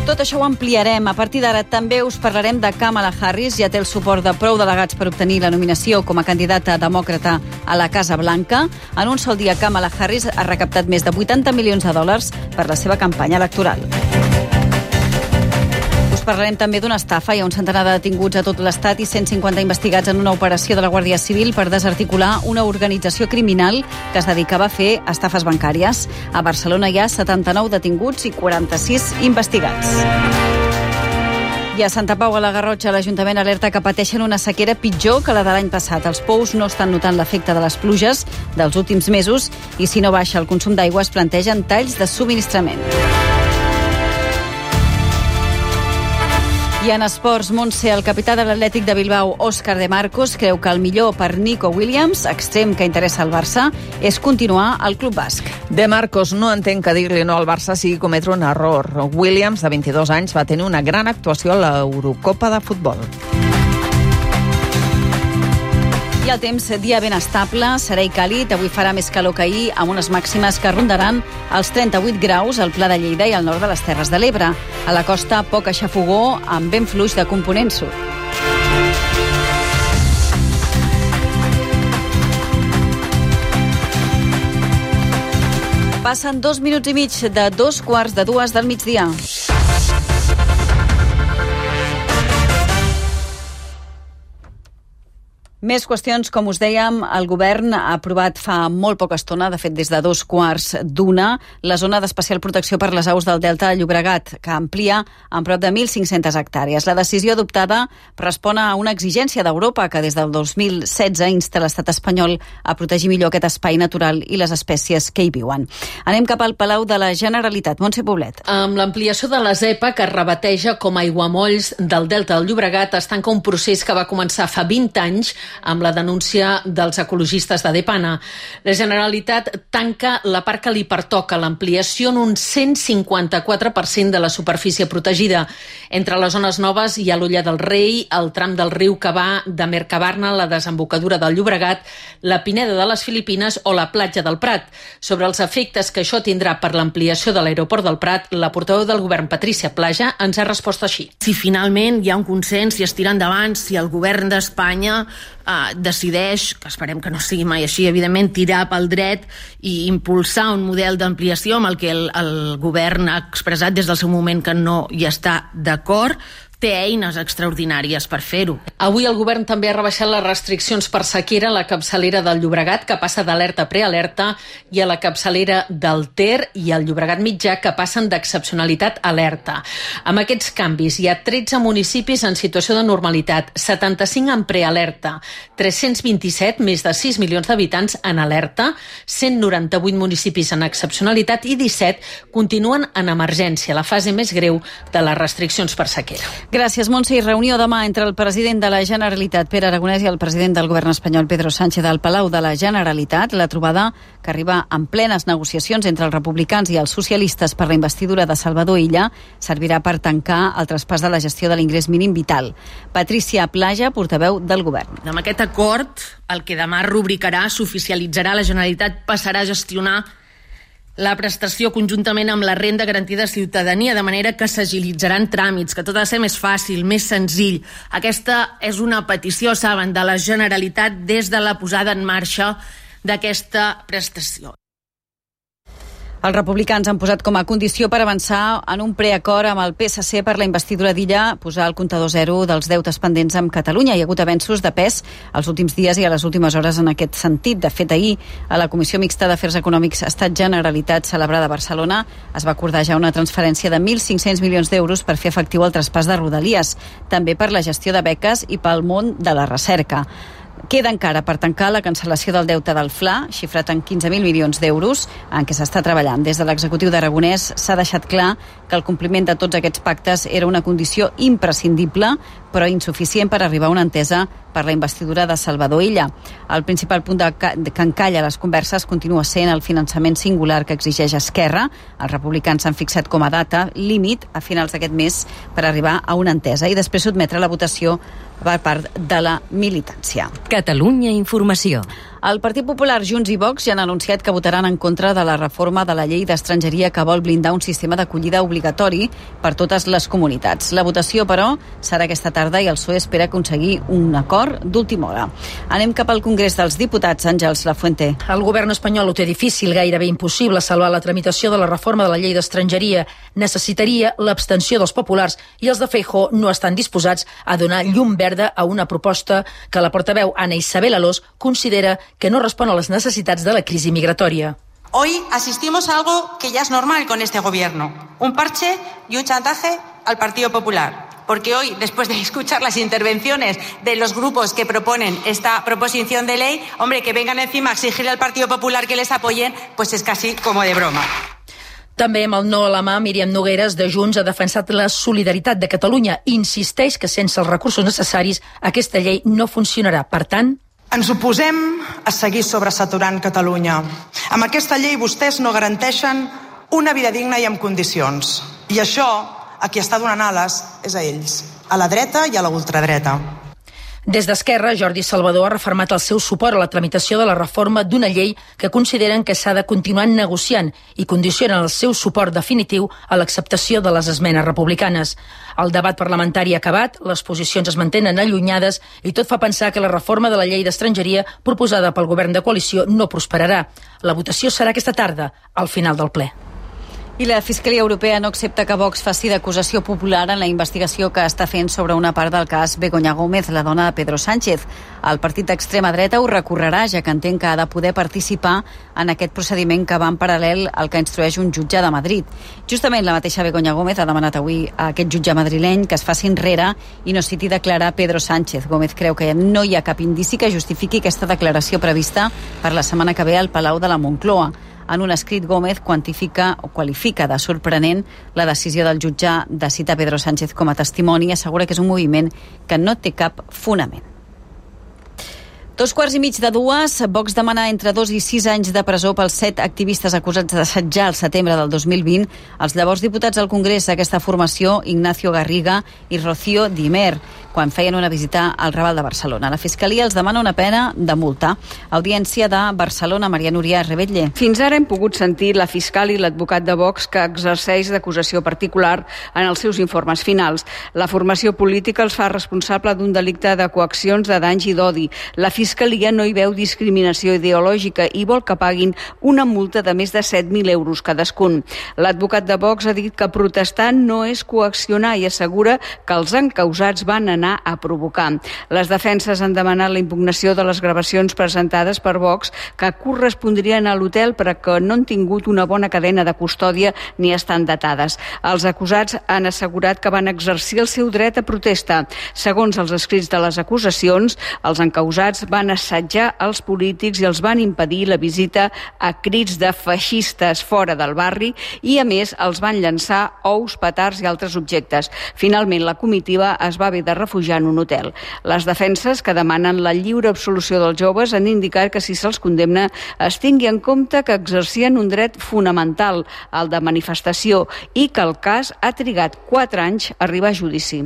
Tot això ho ampliarem. A partir d'ara també us parlarem de Kamala Harris. Ja té el suport de prou delegats per obtenir la nominació com a candidata demòcrata a la Casa Blanca. En un sol dia, Kamala Harris ha recaptat més de vuitanta milions de dòlars per la seva campanya electoral. Us parlarem també d'una estafa. Hi ha un centenar de detinguts a tot l'Estat i cent cinquanta investigats en una operació de la Guàrdia Civil per desarticular una organització criminal que es dedicava a fer estafes bancàries. A Barcelona hi ha setanta-nou detinguts i quaranta-sis investigats. I a Santa Pau, a la Garrotxa, l'Ajuntament alerta que pateixen una sequera pitjor que la de l'any passat. Els pous no estan notant l'efecte de les pluges dels últims mesos i si no baixa el consum d'aigua es plantegen talls de subministrament. I en esports, Montse, el capità de l'Atlètic de Bilbao, Òscar de Marcos, creu que el millor per Nico Williams, extrem que interessa al Barça, és continuar al club basc. De Marcos no entén que dir-li no al Barça sigui cometre un error. Williams, de vint-i-dos anys, va tenir una gran actuació a l'Eurocopa de futbol. I el temps, dia ben estable, serè i càlid. Avui farà més calor que ahir, amb unes màximes que rondaran els trenta-vuit graus al Pla de Lleida i al nord de les Terres de l'Ebre. A la costa, poc aixafogó, amb vent fluix de component sud. Passen dos minuts i mig de dos quarts de dues del migdia. Més qüestions, com us dèiem, el govern ha aprovat fa molt poca estona, de fet des de dos quarts d'una, la zona d'especial protecció per les aus del Delta de Llobregat, que amplia en prop de mil cinc-centes hectàrees. La decisió adoptada respon a una exigència d'Europa que des del dos mil setze insta l'estat espanyol a protegir millor aquest espai natural i les espècies que hi viuen. Anem cap al Palau de la Generalitat. Montse Poblet. Amb l'ampliació de la ZEPA, que es rebateja com a aiguamolls del Delta del Llobregat, es tanca un procés que va començar fa vint anys amb la denúncia dels ecologistes de Depana. La Generalitat tanca la part que li pertoca, l'ampliació en un cent cinquanta-quatre per cent de la superfície protegida. Entre les zones noves hi ha l'Olla del Rei, el tram del riu que va de Mercabarna, la desembocadura del Llobregat, la Pineda de les Filipines o la platja del Prat. Sobre els efectes que això tindrà per l'ampliació de l'aeroport del Prat, la portaveu del govern, Patrícia Plaja, ens ha respost així. Si finalment hi ha un consens, si es tira endavant, si el govern d'Espanya Uh, decideix, que esperem que no sigui mai així, evidentment, tirar pel dret i impulsar un model d'ampliació amb el que el, el govern ha expressat des del seu moment que no hi està d'acord, té eines extraordinàries per fer-ho. Avui el govern també ha rebaixat les restriccions per sequera a la capçalera del Llobregat, que passa d'alerta a prealerta, i a la capçalera del Ter i al Llobregat mitjà, que passen d'excepcionalitat a alerta. Amb aquests canvis hi ha tretze municipis en situació de normalitat, setanta-cinc en prealerta, tres-cents vint-i-set, més de sis milions d'habitants, en alerta, cent noranta-vuit municipis en excepcionalitat i disset continuen en emergència, la fase més greu de les restriccions per sequera. Gràcies, Montse. I reunió demà entre el president de la Generalitat, Pere Aragonès, i el president del govern espanyol, Pedro Sánchez, al Palau de la Generalitat. La trobada, que arriba en plenes negociacions entre els republicans i els socialistes per la investidura de Salvador Illa, servirà per tancar el traspàs de la gestió de l'ingrés mínim vital. Patrícia Plaja, portaveu del govern. Amb aquest acord, el que demà rubricarà, s'oficialitzarà, la Generalitat passarà a gestionar la prestació conjuntament amb la renda garantida de ciutadania, de manera que s'agilitzaran tràmits, que tot ha de ser més fàcil, més senzill. Aquesta és una petició, saben, de la Generalitat des de la posada en marxa d'aquesta prestació. Els republicans han posat com a condició per avançar en un preacord amb el P S C per la investidura d'Illa posar el comptador zero dels deutes pendents amb Catalunya. Hi ha hagut avenços de pes els últims dies i a les últimes hores en aquest sentit. De fet, ahir, a la Comissió Mixta d'Afers Econòmics Estat-Generalitat celebrada a Barcelona, es va acordar ja una transferència de mil cinc-cents milions d'euros per fer efectiu el traspàs de Rodalies, també per la gestió de beques i pel món de la recerca. Queda encara per tancar la cancel·lació del deute del F L A, xifrat en quinze mil milions d'euros, en què s'està treballant. Des de l'executiu d'Aragonès s'ha deixat clar que el compliment de tots aquests pactes era una condició imprescindible, però insuficient per arribar a una entesa per la investidura de Salvador Illa. El principal punt de que encalla les converses continua sent el finançament singular que exigeix Esquerra. Els republicans s'han fixat com a data límit a finals d'aquest mes per arribar a una entesa i després sotmetre la votació per part de la militància. Catalunya Informació. El Partit Popular, Junts i Vox ja han anunciat que votaran en contra de la reforma de la llei d'estrangeria que vol blindar un sistema d'acollida obligatori per totes les comunitats. La votació, però, serà aquesta tarda i el P S O E espera aconseguir un acord d'última hora. Anem cap al Congrés dels Diputats. Àngels Lafuente. El govern espanyol ho té difícil, gairebé impossible salvar la tramitació de la reforma de la llei d'estrangeria. Necessitaria l'abstenció dels populars i els de Feijóo no estan disposats a donar llum verda a una proposta que la portaveu Ana Isabel Alós considera que no respon a las necesidades de la crisis migratoria. Hoy asistimos a algo que ya es normal con este gobierno, un parche y un chantaje al Partido Popular. Porque hoy, después de escuchar las intervenciones de los grupos que proponen esta proposición de ley, hombre, que vengan encima a exigirle al Partido Popular que les apoyen, pues es casi como de broma. També amb el no a la mà, Míriam Nogueras, de Junts, ha defensat la solidaritat de Catalunya i insisteix que sense els recursos necessaris aquesta llei no funcionarà. Per tant, ens oposem a seguir sobresaturant Catalunya. Amb aquesta llei vostès no garanteixen una vida digna i amb condicions. I això, a qui està donant ales, és a ells, a la dreta i a la ultradreta. Des d'Esquerra, Jordi Salvador ha refermat el seu suport a la tramitació de la reforma d'una llei que consideren que s'ha de continuar negociant i condicionen el seu suport definitiu a l'acceptació de les esmenes republicanes. El debat parlamentari ha acabat, les posicions es mantenen allunyades i tot fa pensar que la reforma de la llei d'estrangeria proposada pel govern de coalició no prosperarà. La votació serà aquesta tarda, al final del ple. I la Fiscalia Europea no accepta que Vox faci d'acusació popular en la investigació que està fent sobre una part del cas Begoña Gómez, la dona de Pedro Sánchez. El partit d'extrema dreta ho recorrerà, ja que entén que ha de poder participar en aquest procediment que va en paral·lel al que instrueix un jutge de Madrid. Justament la mateixa Begoña Gómez ha demanat avui a aquest jutge madrileny que es faci enrere i no citi declarar Pedro Sánchez. Gómez creu que no hi ha cap indici que justifiqui aquesta declaració prevista per la setmana que ve al Palau de la Moncloa. En un escrit, Gómez quantifica o qualifica de sorprenent la decisió del jutge de citar Pedro Sánchez com a testimoni i assegura que és un moviment que no té cap fonament. Dos quarts i mig de dues, Vox demana entre dos i sis anys de presó pels set activistes acusats d'assetjar el setembre del dos mil vint els llavors diputats al Congrés d'aquesta formació, Ignacio Garriga i Rocío Dimer, quan feien una visita al Raval de Barcelona. La Fiscalia els demana una pena de multa. Audiència de Barcelona, Maria Núria Rebetlle. Fins ara hem pogut sentir la fiscal i l'advocat de Vox que exerceix d'acusació particular en els seus informes finals. La formació política els fa responsable d'un delicte de coaccions, de danys i d'odi. La Fiscalia no hi veu discriminació ideològica i vol que paguin una multa de més de set mil euros cadascun. L'advocat de Vox ha dit que protestar no és coaccionar i assegura que els encausats van anar a provocar. Les defenses han demanat la impugnació de les gravacions presentades per Vox que correspondrien a l'hotel però que no han tingut una bona cadena de custòdia ni estan datades. Els acusats han assegurat que van exercir el seu dret a protesta. Segons els escrits de les acusacions, els encausats van assetjar els polítics i els van impedir la visita a crits de feixistes fora del barri i, a més, els van llançar ous, petards i altres objectes. Finalment, la comitiva es va haver de refugiar en un hotel. Les defenses que demanen la lliure absolució dels joves han indicat que si se'ls condemna es tingui en compte que exercien un dret fonamental, el de manifestació, i que el cas ha trigat quatre anys a arribar a judici.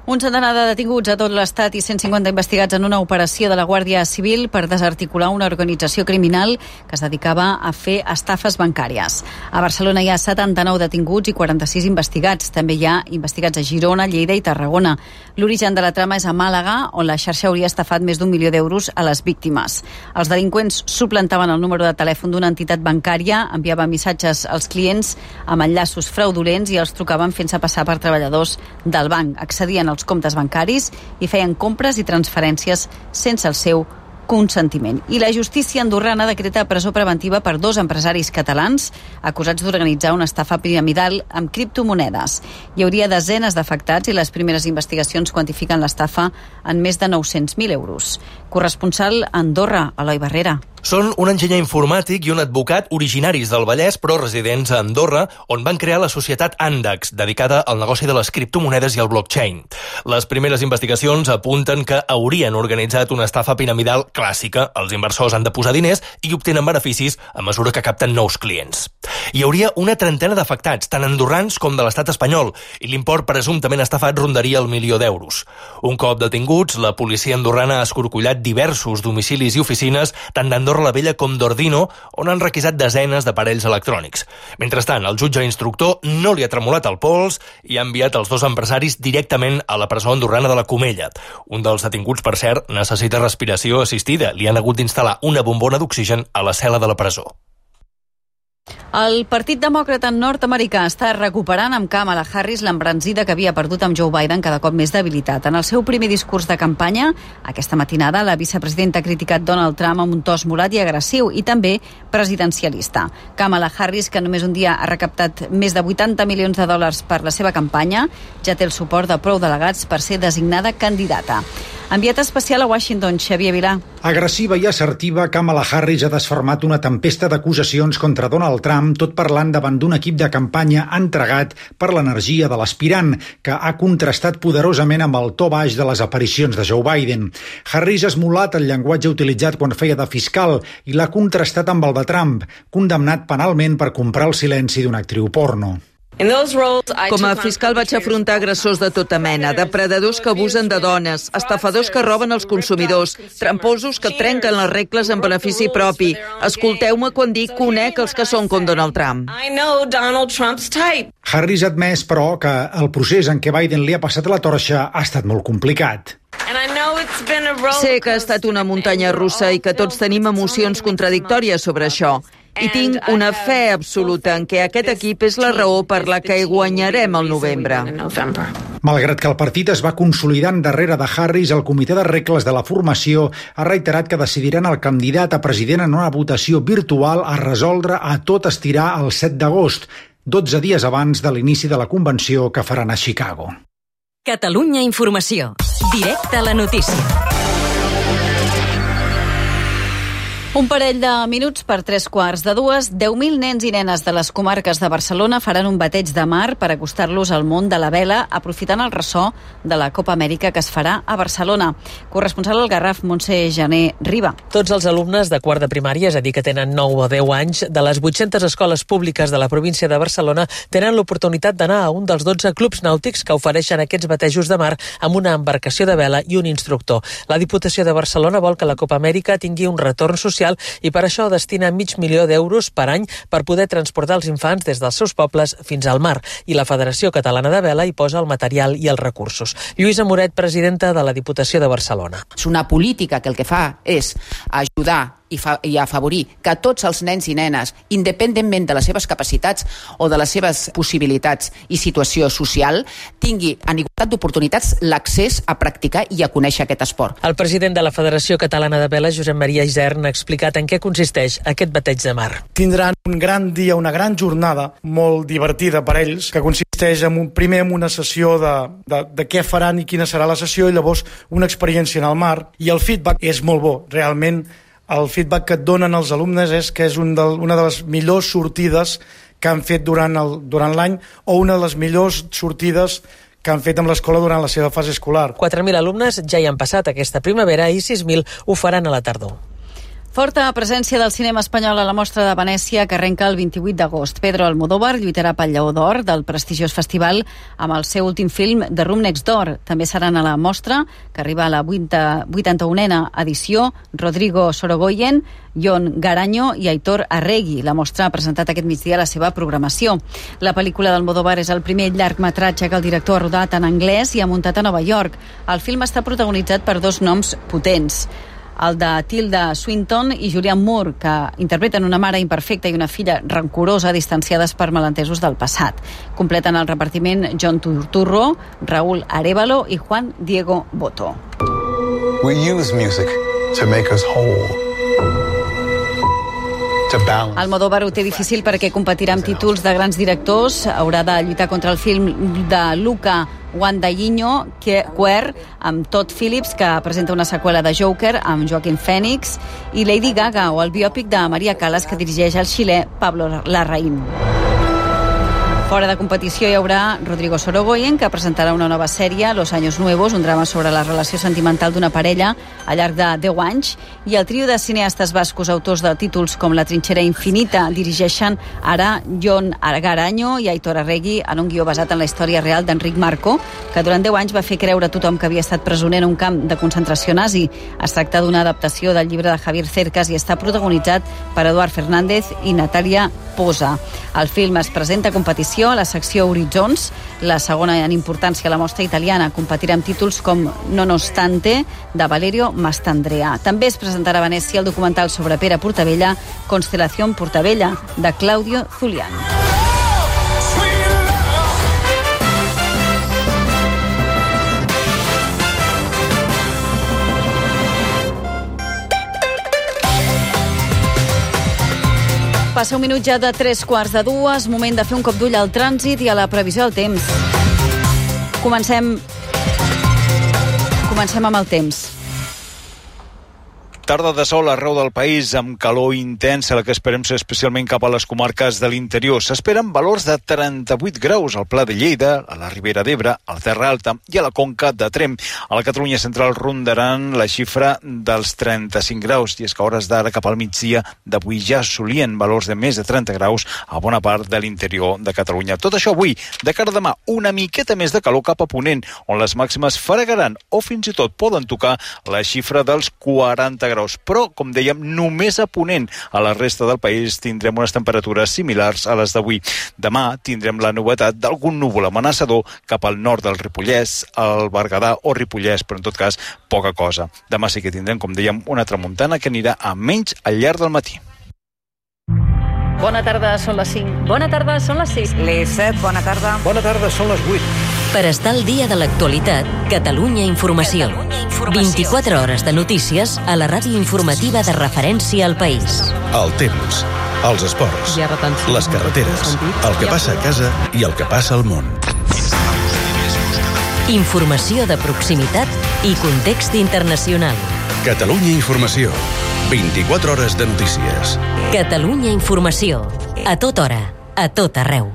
Un centenar de detinguts a tot l'Estat i cent cinquanta investigats en una operació de la Guàrdia Civil per desarticular una organització criminal que es dedicava a fer estafes bancàries. A Barcelona hi ha setanta-nou detinguts i quaranta-sis investigats. També hi ha investigats a Girona, Lleida i Tarragona. L'origen de la trama és a Màlaga, on la xarxa hauria estafat més d'un milió d'euros a les víctimes. Els delinqüents suplantaven el número de telèfon d'una entitat bancària, enviaven missatges als clients amb enllaços fraudulents i els trucaven fent-se passar per treballadors del banc. Accedien als comptes bancaris i feien compres i transferències sense el seu consentiment. I la justícia andorrana decreta presó preventiva per dos empresaris catalans acusats d'organitzar una estafa piramidal amb criptomonedes. Hi hauria desenes d'afectats i les primeres investigacions quantifiquen l'estafa en més de nou-cents mil euros. Corresponsal a Andorra, Eloi Barrera. Són un enginyer informàtic i un advocat originaris del Vallès, però residents a Andorra, on van crear la societat Andax, dedicada al negoci de les criptomonedes i el blockchain. Les primeres investigacions apunten que haurien organitzat una estafa piramidal clàssica. Els inversors han de posar diners i obtenen beneficis a mesura que capten nous clients. Hi hauria una trentena d'afectats, tant andorrans com de l'estat espanyol, i l'import presumptament estafat rondaria el milió d'euros. Un cop detinguts, la policia andorrana ha escorcollat diversos domicilis i oficines, tant d'Andorra la Vella com d'Ordino, on han requisat desenes d'aparells electrònics. Mentrestant, el jutge instructor no li ha tremolat el pols i ha enviat els dos empresaris directament a la presó andorrana de la Comella. Un dels detinguts, per cert, necessita respiració assistida. Li han hagut d'instal·lar una bombona d'oxigen a la cel·la de la presó. El Partit Demòcrata nord-americà està recuperant amb Kamala Harris l'embranzida que havia perdut amb Joe Biden cada cop més debilitat. En el seu primer discurs de campanya, aquesta matinada, la vicepresidenta ha criticat Donald Trump amb un to esmolat i agressiu i també presidencialista. Kamala Harris, que només un dia ha recaptat més de vuitanta milions de dòlars per la seva campanya, ja té el suport de prou delegats per ser designada candidata. Enviat especial a Washington, Xavier Vilà. Agressiva i assertiva, Kamala Harris ha desfermat una tempesta d'acusacions contra Donald Trump, tot parlant davant d'un equip de campanya entregat per l'energia de l'aspirant, que ha contrastat poderosament amb el to baix de les aparicions de Joe Biden. Harris ha esmolat el llenguatge utilitzat quan feia de fiscal i l'ha contrastat amb el de Trump, condemnat penalment per comprar el silenci d'una actriu porno. Com a fiscal vaig afrontar agressors de tota mena, depredadors que abusen de dones, estafadors que roben els consumidors, tramposos que trenquen les regles en benefici propi. Escolteu-me quan dic que conec els que són com Donald Trump. Harris ha admès, però, que el procés en què Biden li ha passat la torxa ha estat molt complicat. Sé que ha estat una muntanya russa i que tots tenim emocions contradictòries sobre això. I tinc una fe absoluta en què aquest equip és la raó per la que guanyarem el novembre. Malgrat que el partit es va consolidant darrere de Harris, el comitè de regles de la formació ha reiterat que decidiran el candidat a president en una votació virtual a resoldre a tot estirar el set d'agost, dotze dies abans de l'inici de la convenció que faran a Chicago. Catalunya Informació. Directe a la notícia. Un parell de minuts per tres quarts de dues, deu mil nens i nenes de les comarques de Barcelona faran un bateig de mar per acostar-los al món de la vela, aprofitant el ressò de la Copa Amèrica que es farà a Barcelona. Corresponsal al Garraf, Montse Jané Riba. Tots els alumnes de quart de primària, és a dir, que tenen nou o deu anys, de les vuit-centes escoles públiques de la província de Barcelona, tenen l'oportunitat d'anar a un dels dotze clubs nàutics que ofereixen aquests batejos de mar amb una embarcació de vela i un instructor. La Diputació de Barcelona vol que la Copa Amèrica tingui un retorn social i per això destina mig milió d'euros per any per poder transportar els infants des dels seus pobles fins al mar. I la Federació Catalana de Vela hi posa el material i els recursos. Lluïsa Moret, presidenta de la Diputació de Barcelona. És una política que el que fa és ajudar i, fa, i afavorir que tots els nens i nenes, independentment de les seves capacitats o de les seves possibilitats i situació social, tingui en igualtat d'oportunitats l'accés a practicar i a conèixer aquest esport. El president de la Federació Catalana de Vela, Josep Maria Isern, ha explicat en què consisteix aquest bateig de mar. Tindran un gran dia, una gran jornada molt divertida per ells, que consisteix en un, primer en una sessió de, de, de què faran i quina serà la sessió, i llavors una experiència en el mar, i el feedback és molt bo. Realment el feedback que et donen els alumnes és que és un del, una de les millors sortides que han fet durant el, durant l'any, o una de les millors sortides que han fet amb l'escola durant la seva fase escolar. quatre mil alumnes ja hi han passat aquesta primavera i sis mil ho faran a la tardor. Forta presència del cinema espanyol a la Mostra de Venècia, que arrenca el vint-i-vuit d'agost. Pedro Almodóvar lluitarà pel Lleó d'Or del prestigiós festival amb el seu últim film, The Room Next Door. També seran a la mostra, que arriba a la vuitanta-unena edició, Rodrigo Sorogoyen, Jon Garanyo i Aitor Arregui. La mostra ha presentat aquest migdia la seva programació. La pel·lícula d'Almodóvar és el primer llargmetratge que el director ha rodat en anglès i ha muntat a Nova York. El film està protagonitzat per dos noms potents, el de Tilda Swinton i Julianne Moore, que interpreten una mare imperfecta i una filla rancorosa distanciades per malentesos del passat. Completen el repartiment John Turturro, Raúl Arévalo i Juan Diego Boto. We use music to make us whole. Almodóvar ho té difícil perquè competirà amb títols de grans directors. Haurà de lluitar contra el film de Luca Guadagnino, Queer, amb Todd Phillips, que presenta una seqüela de Joker amb Joaquin Phoenix, i Lady Gaga, o el biòpic de Maria Callas, que dirigeix el xilè Pablo Larraín. Fora de competició hi haurà Rodrigo Sorogoyen, que presentarà una nova sèrie, Los Años Nuevos, un drama sobre la relació sentimental d'una parella al llarg de deu anys, i el trio de cineastes bascos autors de títols com La trinxera infinita dirigeixen ara Jon Garanyo i Aitor Arregui en un guió basat en la història real d'Enric Marco, que durant deu anys va fer creure a tothom que havia estat presoner en un camp de concentració nazi. Es tracta d'una adaptació del llibre de Javier Cercas i està protagonitzat per Eduard Fernández i Natalia Posa. El film es presenta a competició a la secció Horitzons, la segona en importància a la mostra italiana. Competirà amb títols com Nonostante, de Valerio Mastandrea. També es presentarà a Venècia el documental sobre Pere Portabella, Constelación Portabella, de Claudio Zulian. Passa un minut ja de tres quarts de dues, moment de fer un cop d'ull al trànsit i a la previsió del temps. Comencem, comencem amb el temps. Tarda de sol arreu del país, amb calor intensa, la que esperem ser especialment cap a les comarques de l'interior. S'esperen valors de trenta-vuit graus al Pla de Lleida, a la Ribera d'Ebre, a la Terra Alta i a la Conca de Tremp. A la Catalunya central rondaran la xifra dels trenta-cinc graus, i és que a hores d'ara cap al migdia d'avui ja assolien valors de més de trenta graus a bona part de l'interior de Catalunya. Tot això avui, de cara a demà, una miqueta més de calor cap a Ponent, on les màximes fregaran o fins i tot poden tocar la xifra dels quaranta graus. Però, com dèiem, només a Ponent. A la resta del país tindrem unes temperatures similars a les d'avui. Demà tindrem la novetat d'algun núvol amenaçador cap al nord del Ripollès, al Berguedà o Ripollès, però en tot cas poca cosa. Demà sí que tindrem, com dèiem, una tramuntana que anirà a menys al llarg del matí. Bona tarda, són les cinc. Bona tarda, són les sis. Les set, bona tarda. Bona tarda, són les vuit. Per estar al dia de l'actualitat, Catalunya Informació. Catalunya Informació. vint-i-quatre hores de notícies a la ràdio informativa de referència al país. El temps, els esports, les carreteres, el que passa a casa i el que passa al món. Informació de proximitat i context internacional. Catalunya Informació. vint-i-quatre hores de notícies. Catalunya Informació. A tota hora, a tot arreu.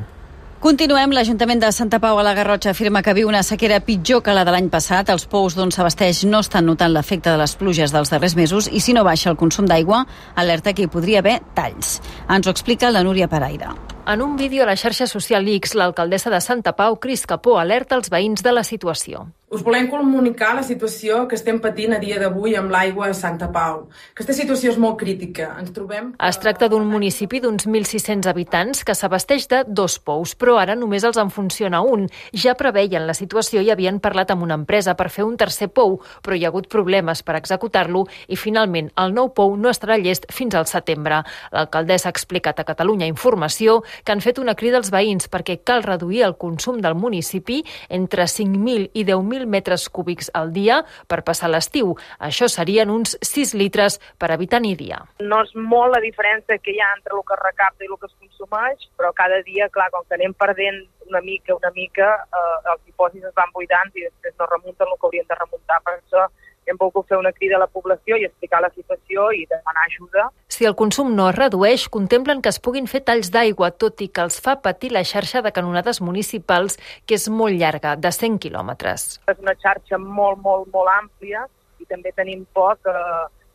Continuem. L'Ajuntament de Santa Pau a la Garrotxa afirma que viu una sequera pitjor que la de l'any passat. Els pous d'on s'abasteix no estan notant l'efecte de les pluges dels darrers mesos i si no baixa el consum d'aigua, alerta que hi podria haver talls. Ens ho explica la Núria Paraire. En un vídeo a la xarxa social X, l'alcaldessa de Santa Pau, Cris Capó, alerta els veïns de la situació. Us volem comunicar la situació que estem patint a dia d'avui amb l'aigua a Santa Pau. Aquesta situació és molt crítica. Ens trobem... Es tracta d'un municipi d'uns mil sis-cents habitants que s'abasteix de dos pous, però ara només els en funciona un. Ja preveien la situació i havien parlat amb una empresa per fer un tercer pou, però hi ha hagut problemes per executar-lo i finalment el nou pou no estarà llest fins al setembre. L'alcaldessa ha explicat a Catalunya Informació que han fet una crida als veïns perquè cal reduir el consum del municipi entre cinc mil i deu mil metres cúbics al dia per passar l'estiu. Això serien uns sis litres per habitant i dia. No és molt la diferència que hi ha entre el que es recapta i el que es consumeix, però cada dia, clar, com que anem perdent una mica, una mica, eh, els dipòsits es van buidant i després no remunten el que haurien de remuntar. Per això hem volgut fer una crida a la població i explicar la situació i demanar ajuda. Si el consum no es redueix, contemplen que es puguin fer talls d'aigua, tot i que els fa patir la xarxa de canonades municipals, que és molt llarga, de cent quilòmetres. És una xarxa molt, molt, molt àmplia i també tenim por que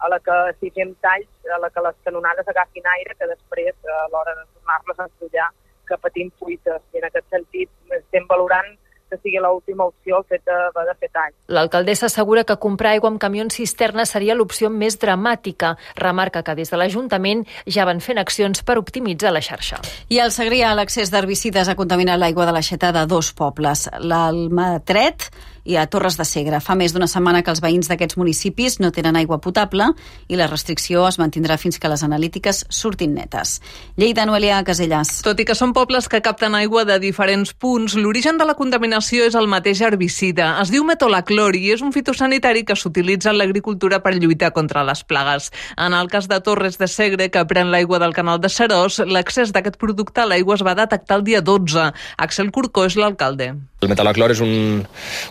a la que si fem talls, a la que les canonades agafin aire, que després, a l'hora de tornar-les a ensollar, que patim fuites. I en aquest sentit estem valorant que sigui l'última opció el fet d'haver de fer talls. L'alcaldessa assegura que comprar aigua amb camions cisterna seria l'opció més dramàtica. Remarca que des de l'Ajuntament ja van fent accions per optimitzar la xarxa. I al Segrià, l'accés d'herbicides ha contaminat l'aigua de l'aixeta de dos pobles, l'Almatret i a Torres de Segre. Fa més d'una setmana que els veïns d'aquests municipis no tenen aigua potable i la restricció es mantindrà fins que les analítiques surtin netes. Lleida, Noelia Casellas. Tot i que són pobles que capten aigua de diferents punts, l'origen de la contaminació és el mateix herbicida. Es diu metolaclor i és un fitosanitari que s'utilitza en l'agricultura per lluitar contra les plagues. En el cas de Torres de Segre, que pren l'aigua del canal de Seròs, l'accés d'aquest producte a l'aigua es va detectar el dia dotze. Axel Corcó és l'alcalde. El metolaclor és un,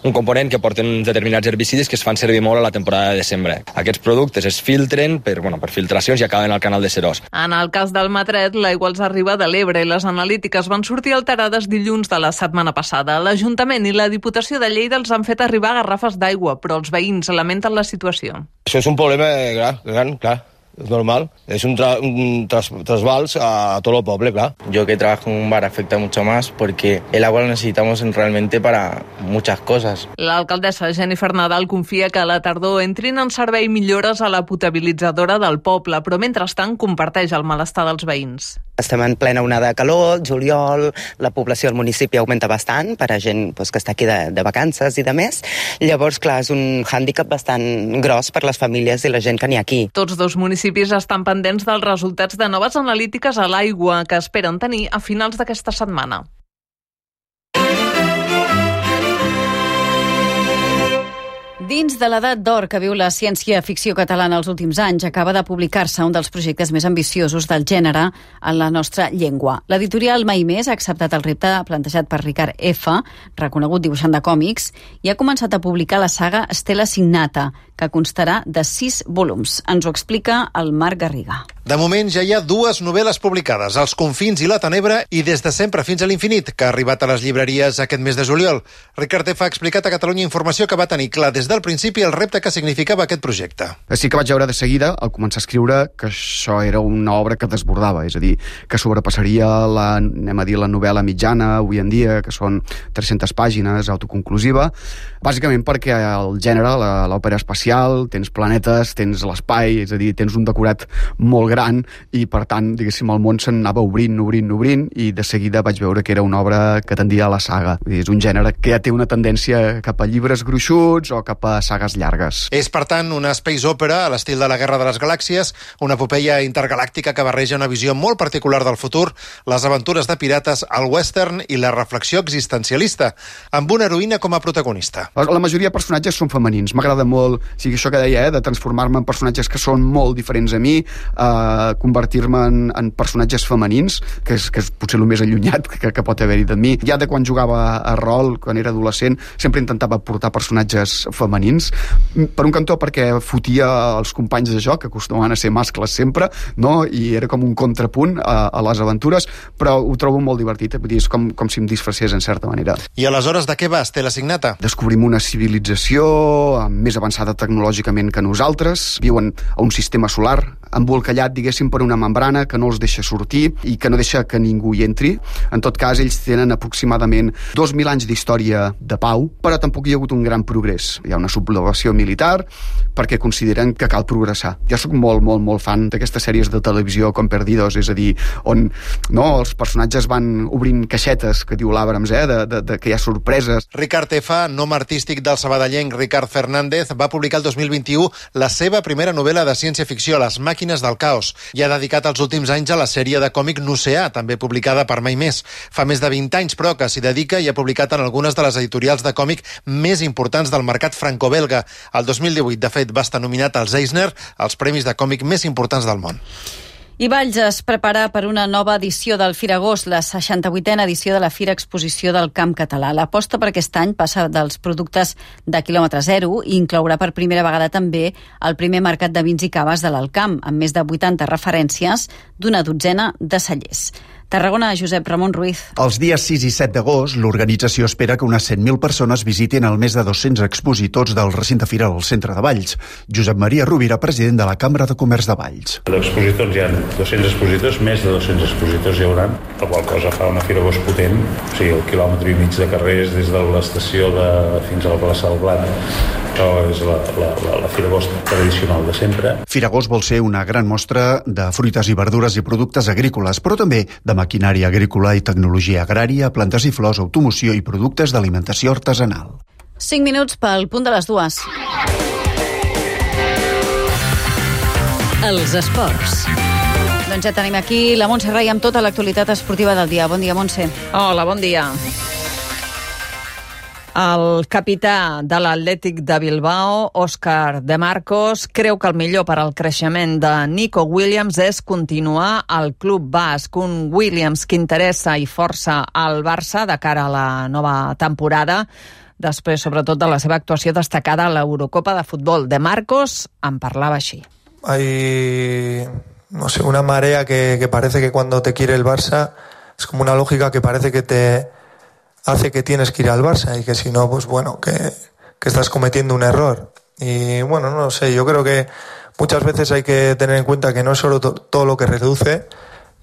un component que porten determinats herbicides que es fan servir molt a la temporada de sembra. Aquests productes es filtren per, bueno, per filtracions i acaben al canal de Seròs. En el cas del Matret, l'aigua els arriba de l'Ebre i les analítiques van sortir alterades dilluns de la setmana passada. L'Ajuntament i la Diputació de Lleida els han fet arribar garrafes d'aigua, però els veïns lamenten la situació. Això és un problema gran, gran, clar. Es normal, es un, tra un tras trasvals a todo el poble, claro. Yo que trabajo en un bar afecta mucho más porque el agua lo necesitamos realmente para muchas cosas. L'alcaldessa Jennifer Nadal confia que a la tardor entrin en servei millores a la potabilitzadora del poble, però mentrestant comparteix el malestar dels veïns. Estem en plena onada de calor, juliol, la població del municipi augmenta bastant per a gent pues, que està aquí de, de vacances i de més. Llavors, clar, és un hàndicap bastant gros per les famílies i la gent que n'hi ha aquí. Tots dos municipis estan pendents dels resultats de noves analítiques a l'aigua que esperen tenir a finals d'aquesta setmana. Dins de l'edat d'or que viu la ciència-ficció catalana els últims anys, acaba de publicar-se un dels projectes més ambiciosos del gènere en la nostra llengua. L'editorial Mai Més ha acceptat el repte plantejat per Ricard F., reconegut dibuixant de còmics, i ha començat a publicar la saga Stella Signata, que constarà de sis volums. Ens ho explica el Marc Garriga. De moment ja hi ha dues novel·les publicades, Els confins i la tenebra i Des de sempre fins a l'infinit, que ha arribat a les llibreries aquest mes de juliol. Ricard F. ha explicat a Catalunya Informació que va tenir clar des del principi el repte que significava aquest projecte. Sí que vaig veure de seguida, al començar a escriure, que això era una obra que desbordava, és a dir, que sobrepassaria la, anem a dir, la novel·la mitjana avui en dia, que són tres-centes pàgines, autoconclusiva, bàsicament perquè el gènere, l'òpera espacial, tens planetes, tens l'espai, és a dir, tens un decorat molt gran i, per tant, diguéssim, el món s'anava obrint, obrint, obrint i de seguida vaig veure que era una obra que tendia a la saga. És un gènere que ja té una tendència cap a llibres gruixuts o cap a sagues llargues. És, per tant, una space opera a l'estil de la Guerra de les Galàxies, una epopeia intergalàctica que barreja una visió molt particular del futur, les aventures de pirates, el western i la reflexió existencialista, amb una heroïna com a protagonista. La majoria de personatges són femenins. M'agrada molt, o sigui, això que deia, eh, de transformar-me en personatges que són molt diferents a mi, eh, convertir-me en, en personatges femenins, que és, que és potser el més allunyat que, que pot haver-hi de mi. Ja de quan jugava a rol, quan era adolescent, sempre intentava portar personatges femenins. Per un cantó perquè fotia els companys de joc, que acostumaven a ser mascles sempre, no? I era com un contrapunt a, a les aventures, però ho trobo molt divertit, eh? Vull dir, és com, com si em disfressés en certa manera. I aleshores de què va Stella Signata? Descobrim una civilització més avançada tecnològicament que nosaltres, viuen a un sistema solar embolcallat, diguéssim, per una membrana que no els deixa sortir i que no deixa que ningú hi entri. En tot cas, ells tenen aproximadament dos mil anys d'història de pau, però tampoc hi ha hagut un gran progrés. Hi ha una sublevació militar perquè consideren que cal progressar. Jo sóc molt, molt, molt fan d'aquestes sèries de televisió com Perdidos, és a dir, on no, els personatges van obrint caixetes, que diu l'Abrams, eh, de, de, de que hi ha sorpreses. Ricard F., nom artístic del sabadellenc Ricard Fernández, va publicar el dos mil vint-i-u la seva primera novel·la de ciència-ficció, Les màquines del caos, i ha dedicat els últims anys a la sèrie de còmic N'Oceà, també publicada per Mai Més. Fa més de vint anys, però, que s'hi dedica i ha publicat en algunes de les editorials de còmic més importants del mercat franco-belga. El dos mil divuit, de fet, va estar nominat als Eisner, els premis de còmic més importants del món. I Valls es prepara per una nova edició del Firagost, la seixanta-vuitena edició de la Fira Exposició del Camp Català. L'aposta per aquest any passa dels productes de quilòmetre zero i inclourà per primera vegada també el primer mercat de vins i caves de l'Alt Camp, amb més de vuitanta referències d'una dotzena de cellers. Tarragona, Josep Ramon Ruiz. Els dies sis i set d'agost, l'organització espera que unes cent mil persones visitin el més de dos-cents expositors del recinte firal al centre de Valls. Josep Maria Rovira, president de la Cambra de Comerç de Valls. D'expositors hi ha dos-cents expositors, més de dos-cents expositors hi haurà, la qual cosa fa una Fira Bosch potent, o sigui, el quilòmetre i mig de carrers des de l'estació de, fins a la plaça del Blat. Això és la, la, la, la Fira Bosch tradicional de sempre. Firagost vol ser una gran mostra de fruites i verdures i productes agrícoles, però també de maquinària agrícola i tecnologia agrària, plantes i flors, automoció i productes d'alimentació artesanal. cinc minuts pel punt de les dues. Els esports. Doncs ja tenim aquí la Montse Rai amb tota l'actualitat esportiva del dia. Bon dia, Montse. Hola, bon dia. El capità de l'Atlètic de Bilbao, Òscar de Marcos, creu que el millor per al creixement de Nico Williams és continuar al club basc. Un Williams que interessa i força al Barça de cara a la nova temporada, després sobretot de la seva actuació destacada a l'Eurocopa de futbol. De Marcos en parlava així. Hay, no sé, una marea que, que parece que cuando te quiere el Barça es como una lógica que parece que te hace que tienes que ir al Barça y que si no, pues bueno, que, que estás cometiendo un error. Y bueno, no sé, yo creo que muchas veces hay que tener en cuenta que no es solo to- todo lo que reduce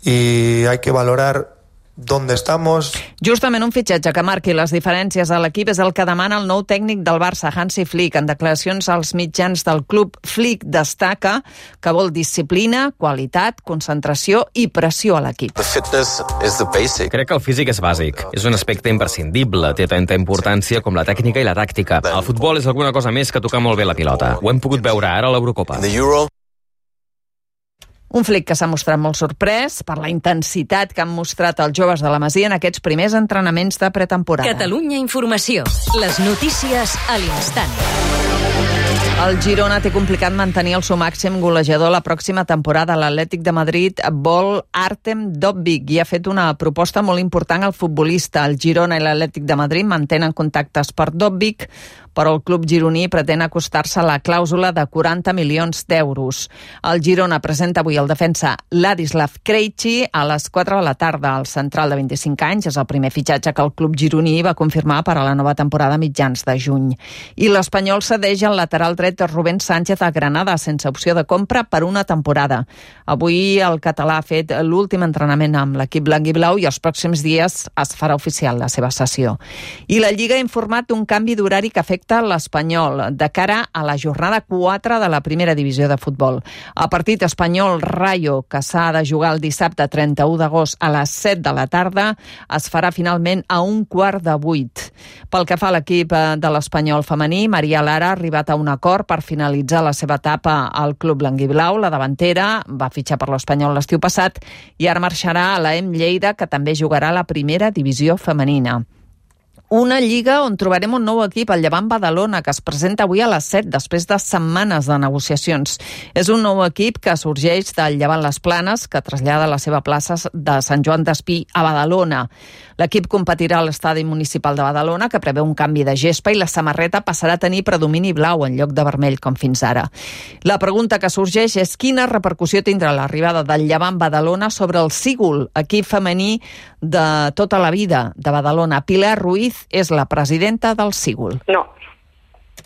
y hay que valorar ¿dónde estamos? Justament un fitxatge que marqui les diferències a l'equip és el que demana el nou tècnic del Barça, Hansi Flick. En declaracions als mitjans del club, Flick destaca que vol disciplina, qualitat, concentració i pressió a l'equip. Crec que el físic és bàsic. És un aspecte imprescindible. Té tanta importància com la tècnica i la tàctica. El futbol és alguna cosa més que tocar molt bé la pilota. Ho hem pogut veure ara a l'Eurocopa. Un Flick que s'ha mostrat molt sorprès per la intensitat que han mostrat els joves de la Masia en aquests primers entrenaments de pretemporada. Catalunya Informació. Les notícies a l'instant. El Girona té complicat mantenir el seu màxim golejador la pròxima temporada. L'Atlètic de Madrid vol Artem Dovbyk i ha fet una proposta molt important al futbolista. El Girona i l'Atlètic de Madrid mantenen contactes per Dovbyk, però el club gironí pretén acostar-se a la clàusula de quaranta milions d'euros. El Girona presenta avui el defensa Ladislav Krejci a les quatre de la tarda. El central de vint-i-cinc anys és el primer fitxatge que el club gironí va confirmar per a la nova temporada mitjans de juny. I l'Espanyol cedeix el lateral dret Rubén Sánchez a Granada sense opció de compra per una temporada. Avui el català ha fet l'últim entrenament amb l'equip blanc i blau i els pròxims dies es farà oficial la seva cessió. I la Lliga ha informat d'un canvi d'horari que afecta l'Espanyol de cara a la jornada quatre de la primera divisió de futbol. El partit Espanyol-Rayo, que s'ha de jugar el dissabte trenta-u d'agost a les set de la tarda, es farà finalment a un quart de vuit. Pel que fa a l'equip de l'Espanyol femení, Maria Lara ha arribat a un acord per finalitzar la seva etapa al club blanc i blau. La davantera va fitxar per l'Espanyol l'estiu passat i ara marxarà a la E M Lleida, que també jugarà a la primera divisió femenina. Una lliga on trobarem un nou equip, el Llevant Badalona, que es presenta avui a les set, després de setmanes de negociacions. És un nou equip que sorgeix del Llevant Les Planes, que trasllada la seva plaça de Sant Joan d'Espí a Badalona. L'equip competirà a l'estadi municipal de Badalona, que preveu un canvi de gespa, i la samarreta passarà a tenir predomini blau en lloc de vermell, com fins ara. La pregunta que sorgeix és quina repercussió tindrà l'arribada del Llevant Badalona sobre el Sígul, equip femení de tota la vida de Badalona. Pilar Ruiz es la presidenta del Sígul. No,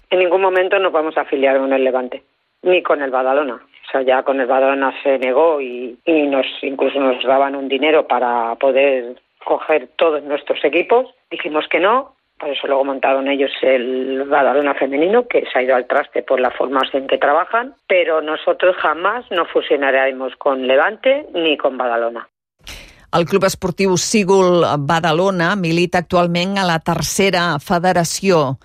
en ningún momento nos vamos a afiliar con el Levante, ni con el Badalona. O sea, ya con el Badalona se negó y, y nos incluso nos daban un dinero para poder coger todos nuestros equipos. Dijimos que no, por eso luego montaron ellos el Badalona femenino, que se ha ido al traste por la forma en que trabajan, pero nosotros jamás nos fusionaremos con Levante ni con Badalona. El Club Esportiu Sígul Badalona milita actualment a la tercera federació.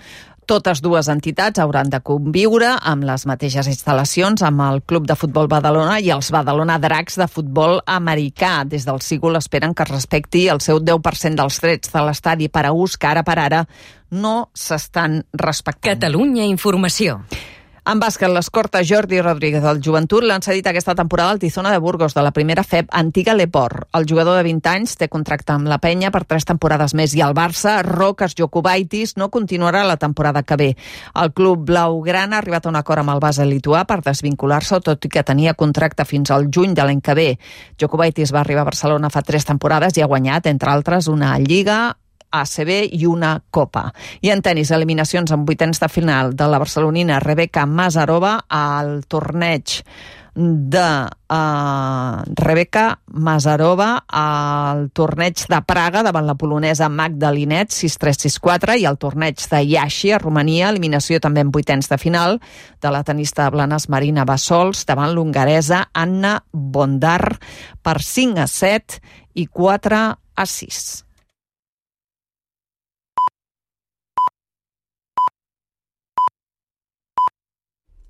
Totes dues entitats hauran de conviure amb les mateixes instal·lacions amb el Club de Futbol Badalona i els Badalona Dracs de futbol americà. Des del Sígul esperen que es respecti el seu deu per cent dels drets de l'estadi per a ús que ara per ara no s'estan respectant. Catalunya Informació. En bàsquet, l'escorta Jordi Rodríguez del Joventut l'han cedit aquesta temporada al Tizona de Burgos de la primera F E B antiga Leport. El jugador de vint anys té contracte amb la penya per tres temporades més i el Barça, Rokas Jokubaitis, no continuarà la temporada que ve. El club blaugrana ha arribat a un acord amb el base lituà per desvincular-se, tot i que tenia contracte fins al juny de l'any que ve. Jokubaitis va arribar a Barcelona fa tres temporades i ha guanyat, entre altres, una Lliga, A C B i una Copa. I en tenis, eliminacions en vuitens de final de la barcelonina Rebeka Masarova al torneig de uh, Rebeka Masarova al torneig de Praga davant la polonesa Magda Linette sis tres sis quatre i al torneig de Iași a Romania, eliminació també en vuitens de final de la tenista de Blanes Marina Bassols davant l'hongaresa Anna Bondar per cinc a set i quatre a sis.